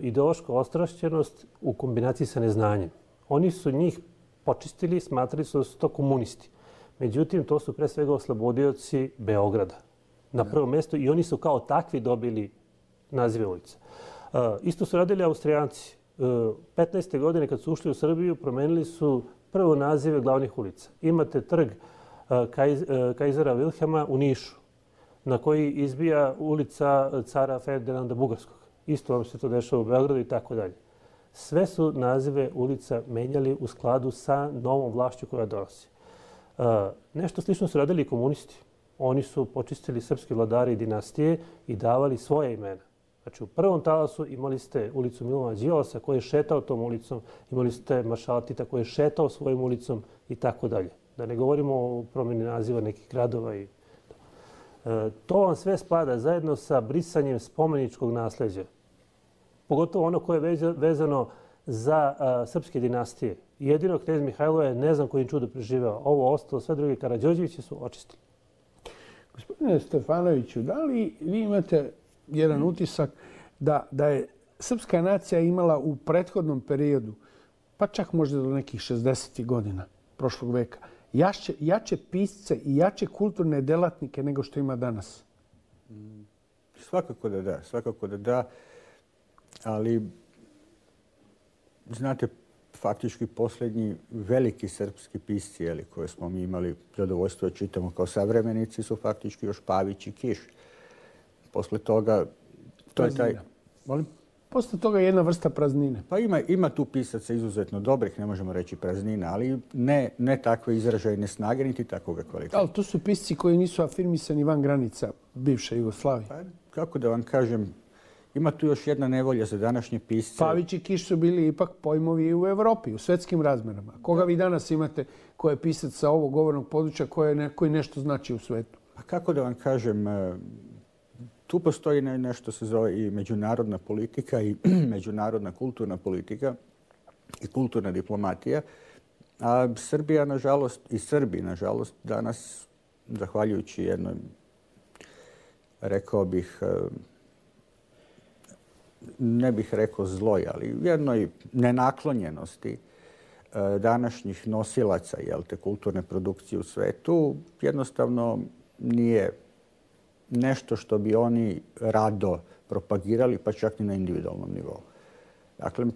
[SPEAKER 3] ideološka ostrašćenost u kombinaciji sa neznanjem. Oni su njih počistili, smatrali su da su to komunisti. Međutim, to su pre svega oslobodioci Beograda na prvom mjestu i oni su kao takvi dobili nazive ulica. Isto su radili Austrijanci. 15. godine kad su ušli u Srbiju, promenili su prvo nazive glavnih ulica. Imate trg Kajzera Vilhelma u Nišu, na koji izbija ulica cara Ferdinanda Bugarskog. Isto vam se to dešava u Beogradu i tako dalje. Sve su nazive ulica menjali u skladu sa novom vlašću koja dolazi. Nešto slično su radili i komunisti. Oni su počistili srpski vladari i dinastije i davali svoje imena. Znači, u prvom talasu imali ste ulicu Milovana Đilasa koji je šetao tom ulicom, imali ste maršala Tita koji je šetao svojim ulicom i tako dalje. Da ne govorimo o promjeni naziva nekih gradova. To vam sve spada zajedno sa brisanjem spomeničkog nasljeđa. Pogotovo ono koje je vezano za srpske dinastije. Jedino knez Mihajlo je ne znam kojim čudo preživeo. Ovo ostalo, sve druge Karađorđevići su očistili.
[SPEAKER 2] Gospodine Stefanoviću, da li vi imate jedan utisak da je srpska nacija imala u prethodnom periodu, pa čak možda do nekih 60. godina prošlog veka, jače pisce i jače kulturne delatnike nego što ima danas?
[SPEAKER 4] Svakako da da. Ali, znate, faktički posljednji veliki srpski pisci koje smo mi imali zadovoljstvo da čitamo kao savremenici su faktički još Pavić i Kiš. Posle toga, to je taj...
[SPEAKER 2] Molim? Posle toga je jedna vrsta praznine.
[SPEAKER 4] Pa ima tu pisaca izuzetno dobrih, ne možemo reći praznina, ali ne takve izražajne snage, niti takvoga kvaliteta.
[SPEAKER 2] Ali to su pisci koji nisu afirmisani van granica bivše Jugoslavije.
[SPEAKER 4] Pa, kako da vam kažem, ima tu još jedna nevolja za današnje pisce.
[SPEAKER 2] Pavić i Kiš su bili ipak pojmovi u Evropi, u svetskim razmerama. Koga vi danas imate ko je pisac sa ovog govornog područja koji nešto znači u svetu?
[SPEAKER 4] Pa kako da vam kažem, tu postoji nešto se zove i međunarodna politika i međunarodna kulturna politika i kulturna diplomatija. A Srbija, nažalost, i Srbi, nažalost, danas, zahvaljujući jednoj, rekao bih, ne bih rekao zloj, ali jednoj nenaklonjenosti današnjih nosilaca kulturne produkcije u svetu, jednostavno nije nešto što bi oni rado propagirali, pa čak i na individualnom nivou. Dakle,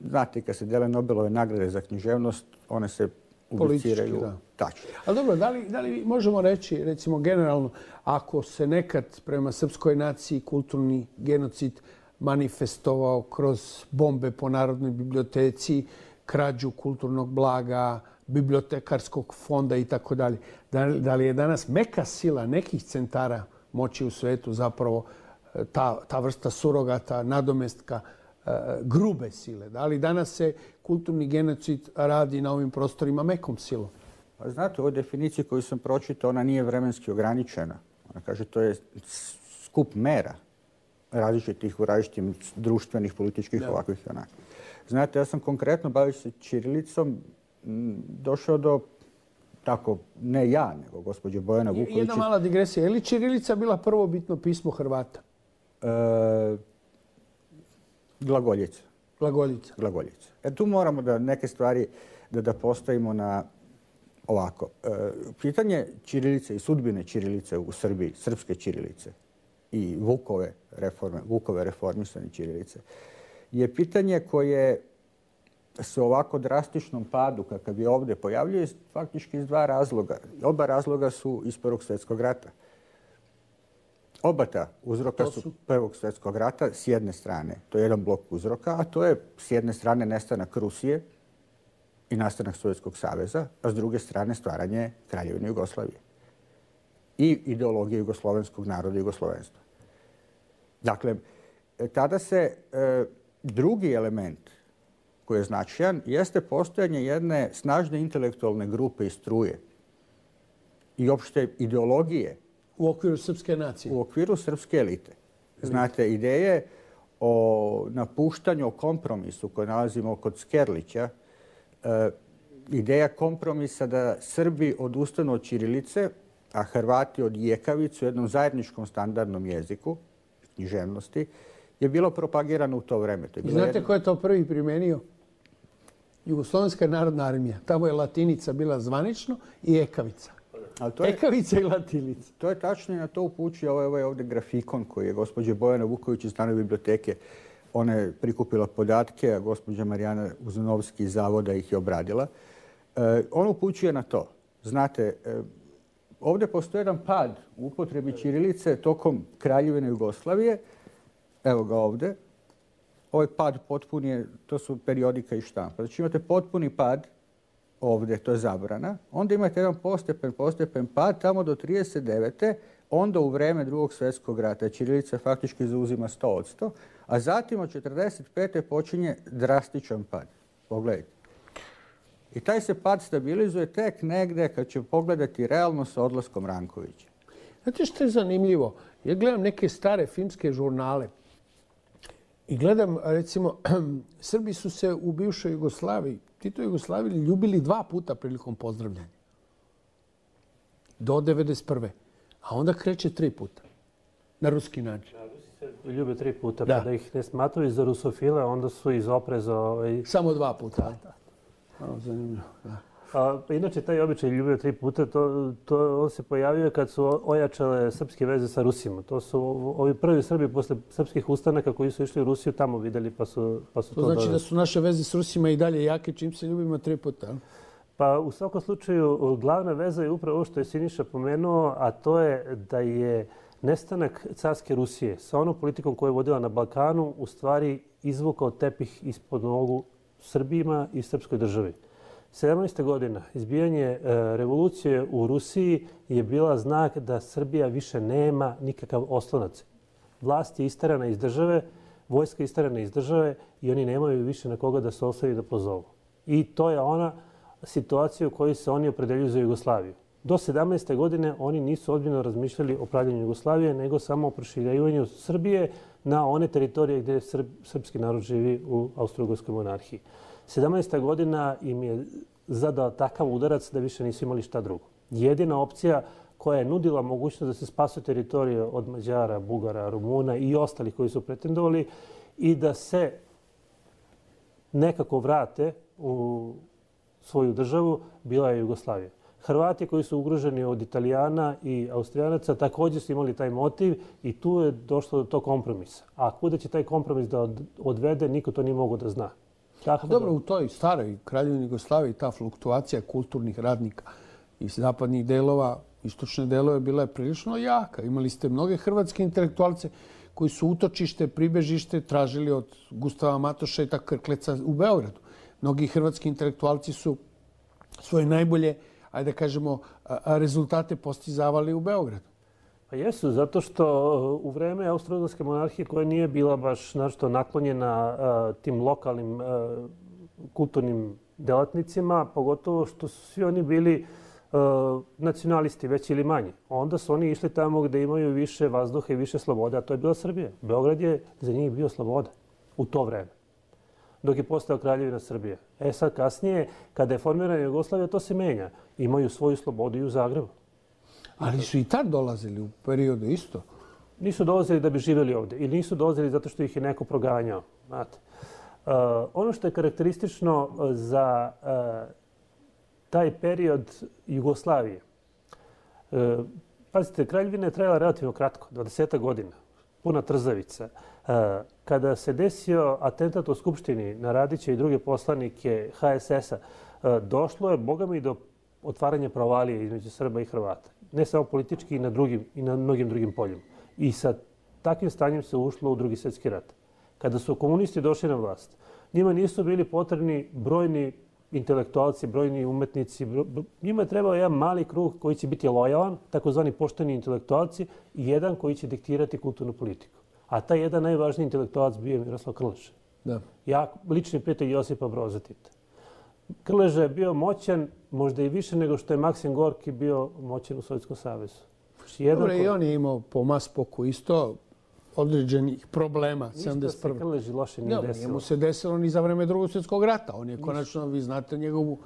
[SPEAKER 4] znate, kad se dele Nobelove nagrade za književnost, one se ubiciraju tačno.
[SPEAKER 2] Ali dobro, da li možemo reći, recimo generalno, ako se nekad prema srpskoj naciji kulturni genocid manifestovao kroz bombe po Narodnoj biblioteci, krađu kulturnog blaga, bibliotekarskog fonda i tako dalje. Da li je danas meka sila nekih centara moći u svetu zapravo ta vrsta surogata, nadomestka, grube sile? Da li danas se kulturni genocid radi na ovim prostorima mekom silom?
[SPEAKER 4] Pa znate, u ovoj definiciji koju sam pročitao, ona nije vremenski ograničena. Ona kaže to je skup mera različitih u različitim društvenih, političkih, ovakvih i onakvih. Znate, ja sam konkretno bavići se ćirilicom došao do, tako, ne ja, nego gospođe Bojana Vuković.
[SPEAKER 2] Jedna mala digresija. Je li ćirilica bila prvobitno pismo Hrvata?
[SPEAKER 4] Glagoljica.
[SPEAKER 2] Glagoljica.
[SPEAKER 4] Glagoljica. Tu moramo da neke stvari da postavimo na ovako. Pitanje ćirilice i sudbine ćirilice u Srbiji, srpske ćirilice i Vukove reformisane ćirilice, je pitanje koje se ovako drastičnom padu kakav je ovdje pojavljuje faktički iz dva razloga. Oba razloga su iz Prvog svjetskog rata. Oba ta uzroka su Prvog svjetskog rata s jedne strane. To je jedan blok uzroka, a to je s jedne strane nestanak Rusije i nastanak Sovjetskog saveza, a s druge strane stvaranje Kraljevine Jugoslavije i ideologije jugoslovenskog naroda i jugoslovenstva. Dakle, tada se drugi element koji je značajan jeste postojanje jedne snažne intelektualne grupe i struje i opšte ideologije
[SPEAKER 2] u okviru srpske nacije.
[SPEAKER 4] U okviru srpske elite. Znate, ideje o napuštanju, o kompromisu koje nalazimo kod Skerlića, ideja kompromisa da Srbi odustanu od ćirilice, a Hrvati od jekavice u jednom zajedničkom standardnom jeziku, književnosti, je bilo propagirano u to vreme.
[SPEAKER 2] Znate ko je to prvi primenio? Jugoslovenska narodna armija. Tamo je latinica bila zvanično i ekavica. Ekavica i latinica.
[SPEAKER 4] To je tačno i na to upućuje ovaj ovdje grafikon koji je gospođa Bojana Vuković iz Narodne biblioteke. Ona je prikupila podatke, a gospođa Marijana Uzanovski iz Zavoda ih je obradila. On upućuje na to. Znate, ovdje postoji jedan pad u upotrebi ćirilice tokom Kraljevine Jugoslavije. Evo ga ovdje. Ovaj pad potpuni je, to su periodika i štampa. Znači imate potpuni pad ovdje, to je zabrana. Onda imate jedan postepen pad tamo do 39. Onda u vreme Drugog svjetskog rata ćirilica faktički zauzima 100%, a zatim od 45. počinje drastičan pad. Pogledajte. I taj se pad stabilizuje tek negde kad će pogledati realno sa odlaskom Rankovića.
[SPEAKER 2] Znate što je zanimljivo? Ja gledam neke stare filmske žurnale i gledam, recimo, Srbi su se u bivšoj Jugoslaviji, Tito Jugoslaviji, ljubili 2 puta prilikom pozdravljanja. Do 1991. A onda kreće 3 puta. Na ruski način.
[SPEAKER 3] Rusi se ljube 3 puta, pa da ih ne smatruju za rusofile, onda su iz opreza...
[SPEAKER 2] Samo 2 puta. Zanimljivo, da.
[SPEAKER 3] Inače, taj običaj ljubio 3 puta, on se pojavio kad su ojačale srpske veze sa Rusima. To su ovi prvi Srbi posle srpskih ustanaka koji su išli u Rusiju tamo videli pa su to
[SPEAKER 2] znači da su naše veze s Rusima i dalje jake čim se ljubimo 3 puta?
[SPEAKER 3] Pa u svakom slučaju glavna veza je upravo ovo što je Siniša pomenuo, a to je da je nestanak carske Rusije sa onom politikom koju je vodila na Balkanu u stvari izvukao tepih ispod nogu Srbima i srpskoj državi. 17. godina izbijanje revolucije u Rusiji je bila znak da Srbija više nema nikakav oslonac. Vlast je isterana iz države, vojska je isterana iz države i oni nemaju više na koga da se osloni da pozovu. I to je ona situacija u kojoj se oni opredeljuju za Jugoslaviju. Do 17. godine oni nisu ozbiljno razmišljali o pravljenju Jugoslavije, nego samo o proširivanju Srbije na one teritorije gdje srpski narod živi u Austro-Ugarskoj monarhiji. 17. godina im je zadao takav udarac da više nisu imali šta drugo. Jedina opcija koja je nudila mogućnost da se spasu teritorije od Mađara, Bugara, Rumuna i ostalih koji su pretendovali i da se nekako vrate u svoju državu, bila je Jugoslavija. Hrvati koji su ugroženi od Italijana i Austrijanaca također su imali taj motiv i tu je došlo do tog kompromisa. A kuda će taj kompromis da odvede, niko to nije mogo da zna.
[SPEAKER 2] Dobro, u toj staroj Kraljevini Jugoslaviji ta fluktuacija kulturnih radnika iz zapadnih delova, istočne delove bila je prilično jaka. Imali ste mnoge hrvatske intelektualce koji su utočište, pribežište tražili od Gustava Matoša i tako Krkleca u Beogradu. Mnogi hrvatski intelektualci su svoje najbolje, ajde da kažemo, rezultate postizavali u Beogradu.
[SPEAKER 3] Pa jesu, zato što u vreme Austro-Ugarske monarhije koja nije bila baš našto naklonjena tim lokalnim kulturnim delatnicima, pogotovo što su svi oni bili nacionalisti, veći ili manji. Onda su oni išli tamo gdje imaju više vazduha i više slobode, a to je bila Srbija. Beograd je za njih bio sloboda u to vreme, dok je postao Kraljevina Srbije. Sad kasnije, kada je formirana Jugoslavija, to se menja. Imaju svoju slobodu i u Zagrebu.
[SPEAKER 2] Ali su i tad dolazili u periodu isto.
[SPEAKER 3] Nisu dolazili da bi živjeli ovdje ili nisu dolazili zato što ih je neko proganjao. Znate. Ono što je karakteristično za taj period Jugoslavije. Pazite, Kraljevina je trajala relativno kratko, 20 godina, puna trzavica. Kada se desio atentat u Skupštini na Radića i druge poslanike HSS-a, došlo je, boga mi, do otvaranja provalije između Srba i Hrvata. Ne samo politički i na mnogim drugim poljima. I sa takvim stanjem se ušlo u Drugi svjetski rat. Kada su komunisti došli na vlast, njima nisu bili potrebni brojni intelektualci, brojni umetnici. Njima je trebao jedan mali krug koji će biti lojalan, takozvani pošteni intelektualci, i jedan koji će diktirati kulturnu politiku. A taj jedan najvažniji intelektualac bio je Miroslav Krleža.
[SPEAKER 2] Da.
[SPEAKER 3] Ja, lični prijatelj Josipa Broza Tita. Krleža je bio moćan, možda i više nego što je Maksim Gorki bio moćan u Sovjetskom savezu.
[SPEAKER 2] Dobre, i on je imao po Maspoku isto određenih problema.
[SPEAKER 3] Ništa se Krleži loše nije desilo.
[SPEAKER 2] Njemu se desilo ni za vreme Drugog svjetskog rata. On je konačno, vi znate njegovu,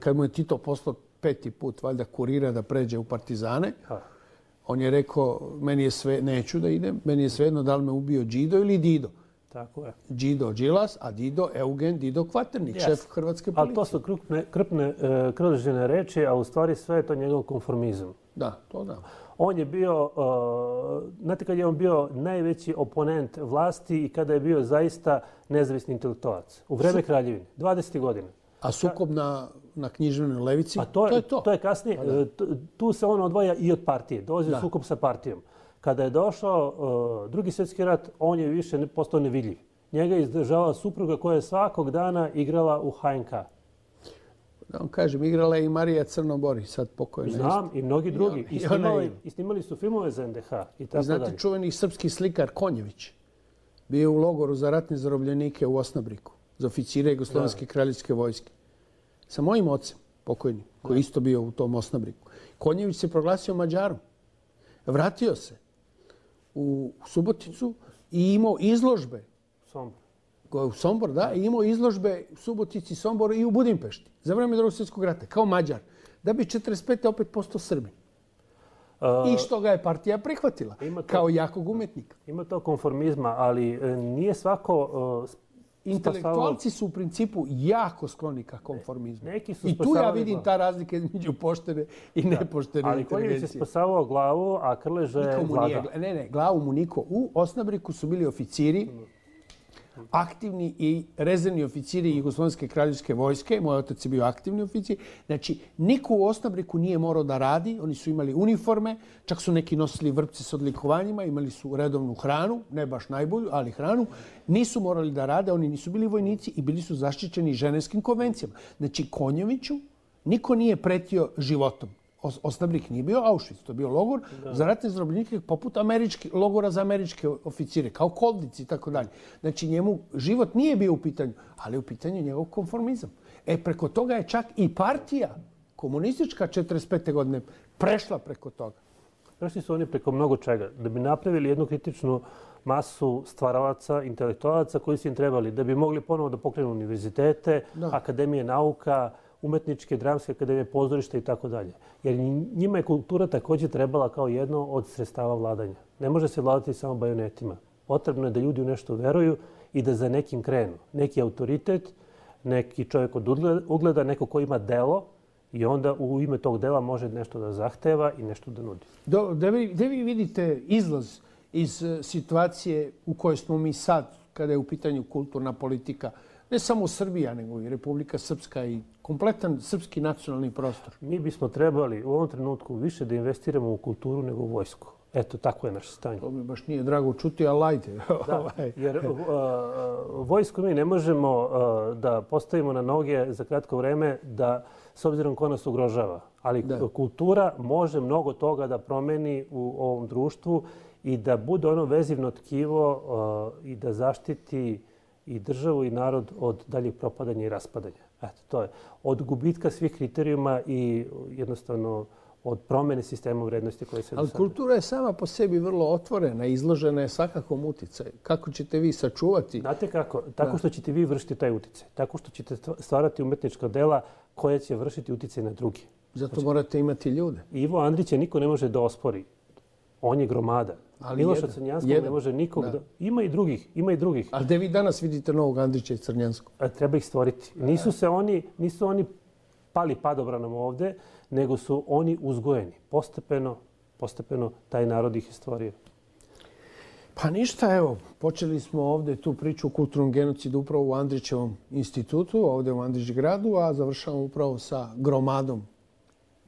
[SPEAKER 2] kad mu je Tito poslao 5. put valjda kurira da pređe u partizane, on je rekao, meni je sve, neću da idem, meni je svejedno da li me ubio Đido ili Dido.
[SPEAKER 3] Tako je.
[SPEAKER 2] Đido Đilas, a Dido Eugen Dido Kvaternik, šef hrvatske policije.
[SPEAKER 3] Ali to su krupne Krležine reči, a u stvari sve je to njegov konformizam.
[SPEAKER 2] Da, to da.
[SPEAKER 3] On je bio, znate kad je on bio najveći oponent vlasti i kada je bio zaista nezavisni intelektualac. U vreme Kraljevine, 20. godina.
[SPEAKER 2] A sukob na književnoj levici, to je to.
[SPEAKER 3] To je kasnije. Tu se on odvaja i od partije. Dolazi u sukob sa partijom. Kada je došao Drugi svjetski rat, on je više postao nevidljiv. Njega je izdržavala supruga koja je svakog dana igrala u HNK.
[SPEAKER 2] Da vam kažem, igrala je i Marija Crnobori, sad pokojna.
[SPEAKER 3] Znam, i mnogi drugi. I snimali su filmove za NDH.
[SPEAKER 2] Znate, čuveni srpski slikar Konjević bio je u logoru za ratne zarobljenike u Osnabriku, za oficire Jugoslovenske kraljevske vojske. Sa mojim ocem, pokojnim, koji je isto bio u tom Osnabriku. Konjević se proglasio Mađarom. Vratio se u Suboticu i imao izložbe. U Sombor, da. I imao izložbe u Subotici, Somboru i u Budimpešti. Za vreme Drugog svjetskog rata, kao Mađar. Da bi 45. opet postao Srbin. I što ga je partija prihvatila, kao jakog umetnika.
[SPEAKER 3] Ima to konformizma, ali nije svako...
[SPEAKER 2] Intelektualci su u principu jako skloni ka konformizmu. I tu ja vidim ta razlika između poštene i nepoštene
[SPEAKER 3] ali
[SPEAKER 2] inteligencije.
[SPEAKER 3] Ali Konjević je spasavao glavu, a Krleža je vladao.
[SPEAKER 2] Ne, glavu mu niko. U Osnabriku su bili oficiri, aktivni i rezervni oficiri Jugoslovenske kraljevske vojske. Moj otac je bio aktivni oficir. Znači, niko u Osnabriku nije morao da radi. Oni su imali uniforme, čak su neki nosili vrpce s odlikovanjima, imali su redovnu hranu, ne baš najbolju, ali hranu. Nisu morali da rade, oni nisu bili vojnici i bili su zaštićeni ženevskim konvencijama. Znači, Konjeviću niko nije pretio životom. Osnabrik nije bio Auschwitz, to je bio logor za ratne zarobljenike poput logora za američke oficire, kao Koldnici i tako dalje. Znači, njemu život nije bio u pitanju, ali u pitanju njegov konformizam. Preko toga je čak i partija komunistička 45. godine prešla preko toga?
[SPEAKER 3] Prešli su oni preko mnogo čega. Da bi napravili jednu kritičnu masu stvaralaca, intelektualaca koji su im trebali, da bi mogli ponovo da pokrenu univerzitete, akademije nauka, umetničke, dramske akademije, pozorišta i tako dalje. Jer njima je kultura također trebala kao jedno od sredstava vladanja. Ne može se vladati samo bajonetima. Potrebno je da ljudi u nešto veruju i da za nekim krenu. Neki autoritet, neki čovjek od ugleda, neko ko ima delo i onda u ime tog dela može nešto da zahteva i nešto da nudi.
[SPEAKER 2] Gde vi vidite izlaz iz situacije u kojoj smo mi sad, kada je u pitanju kulturna politika, ne samo Srbija, nego i Republika Srpska i kompletan srpski nacionalni prostor?
[SPEAKER 3] Mi bismo trebali u ovom trenutku više da investiramo u kulturu nego u vojsku. Eto, tako je naše stanje.
[SPEAKER 2] To mi baš nije drago čuti, ali ajde.
[SPEAKER 3] Da, jer vojsku mi ne možemo da postavimo na noge za kratko vreme da, s obzirom ko nas ugrožava. Ali kultura može mnogo toga da promeni u ovom društvu i da bude ono vezivno tkivo i da zaštiti i državu i narod od daljeg propadanja i raspadanja. Eto, to je. Od gubitka svih kriterijuma i jednostavno od promjene sistema vrednosti koje se...
[SPEAKER 2] Ali kultura je sama po sebi vrlo otvorena, izložena je svakakvom uticaju. Kako ćete vi sačuvati?
[SPEAKER 3] Znate kako? Tako što ćete vi vršiti taj uticaj. Tako što ćete stvarati umetnička dela koja će vršiti uticaj na drugi.
[SPEAKER 2] Zato morate imati ljude.
[SPEAKER 3] Ivo Andrića niko ne može da ospori. On je gromada. Miloša Crnjanskog ne može nikog da... Ima i drugih.
[SPEAKER 2] Ali gde vi danas vidite novog Andrića i Crnjanskog?
[SPEAKER 3] Treba ih stvoriti. Nisu oni pali padobranom ovde, nego su oni uzgojeni. Postepeno taj narod ih je stvorio.
[SPEAKER 2] Pa ništa, evo, počeli smo ovde tu priču o kulturnom genocidu upravo u Andrićevom institutu, ovde u Andrićgradu, a završavamo upravo sa gromadom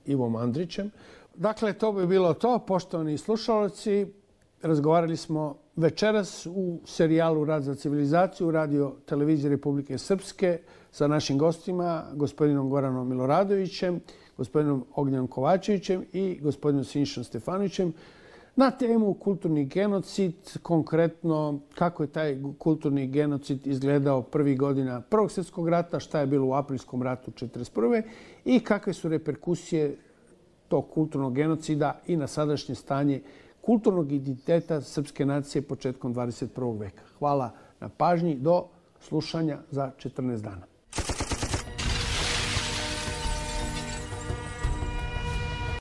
[SPEAKER 2] Ivom Andrićem. Dakle, to bi bilo to. Poštovani slušalci, razgovarali smo večeras u serijalu Rad za civilizaciju Radio televizije Republike Srpske sa našim gostima, gospodinom Goranom Miloradovićem, gospodinom Ognjenom Kovačevićem i gospodinom Sinišom Stefanovićem na temu kulturni genocid, konkretno kako je taj kulturni genocid izgledao prvih godina Prvog svjetskog rata, šta je bilo u aprilskom ratu 1941. i kakve su reperkusije tog kulturnog genocida i na sadašnje stanje kulturnog identiteta srpske nacije početkom 21. veka. Hvala na pažnji. Do slušanja za 14 dana.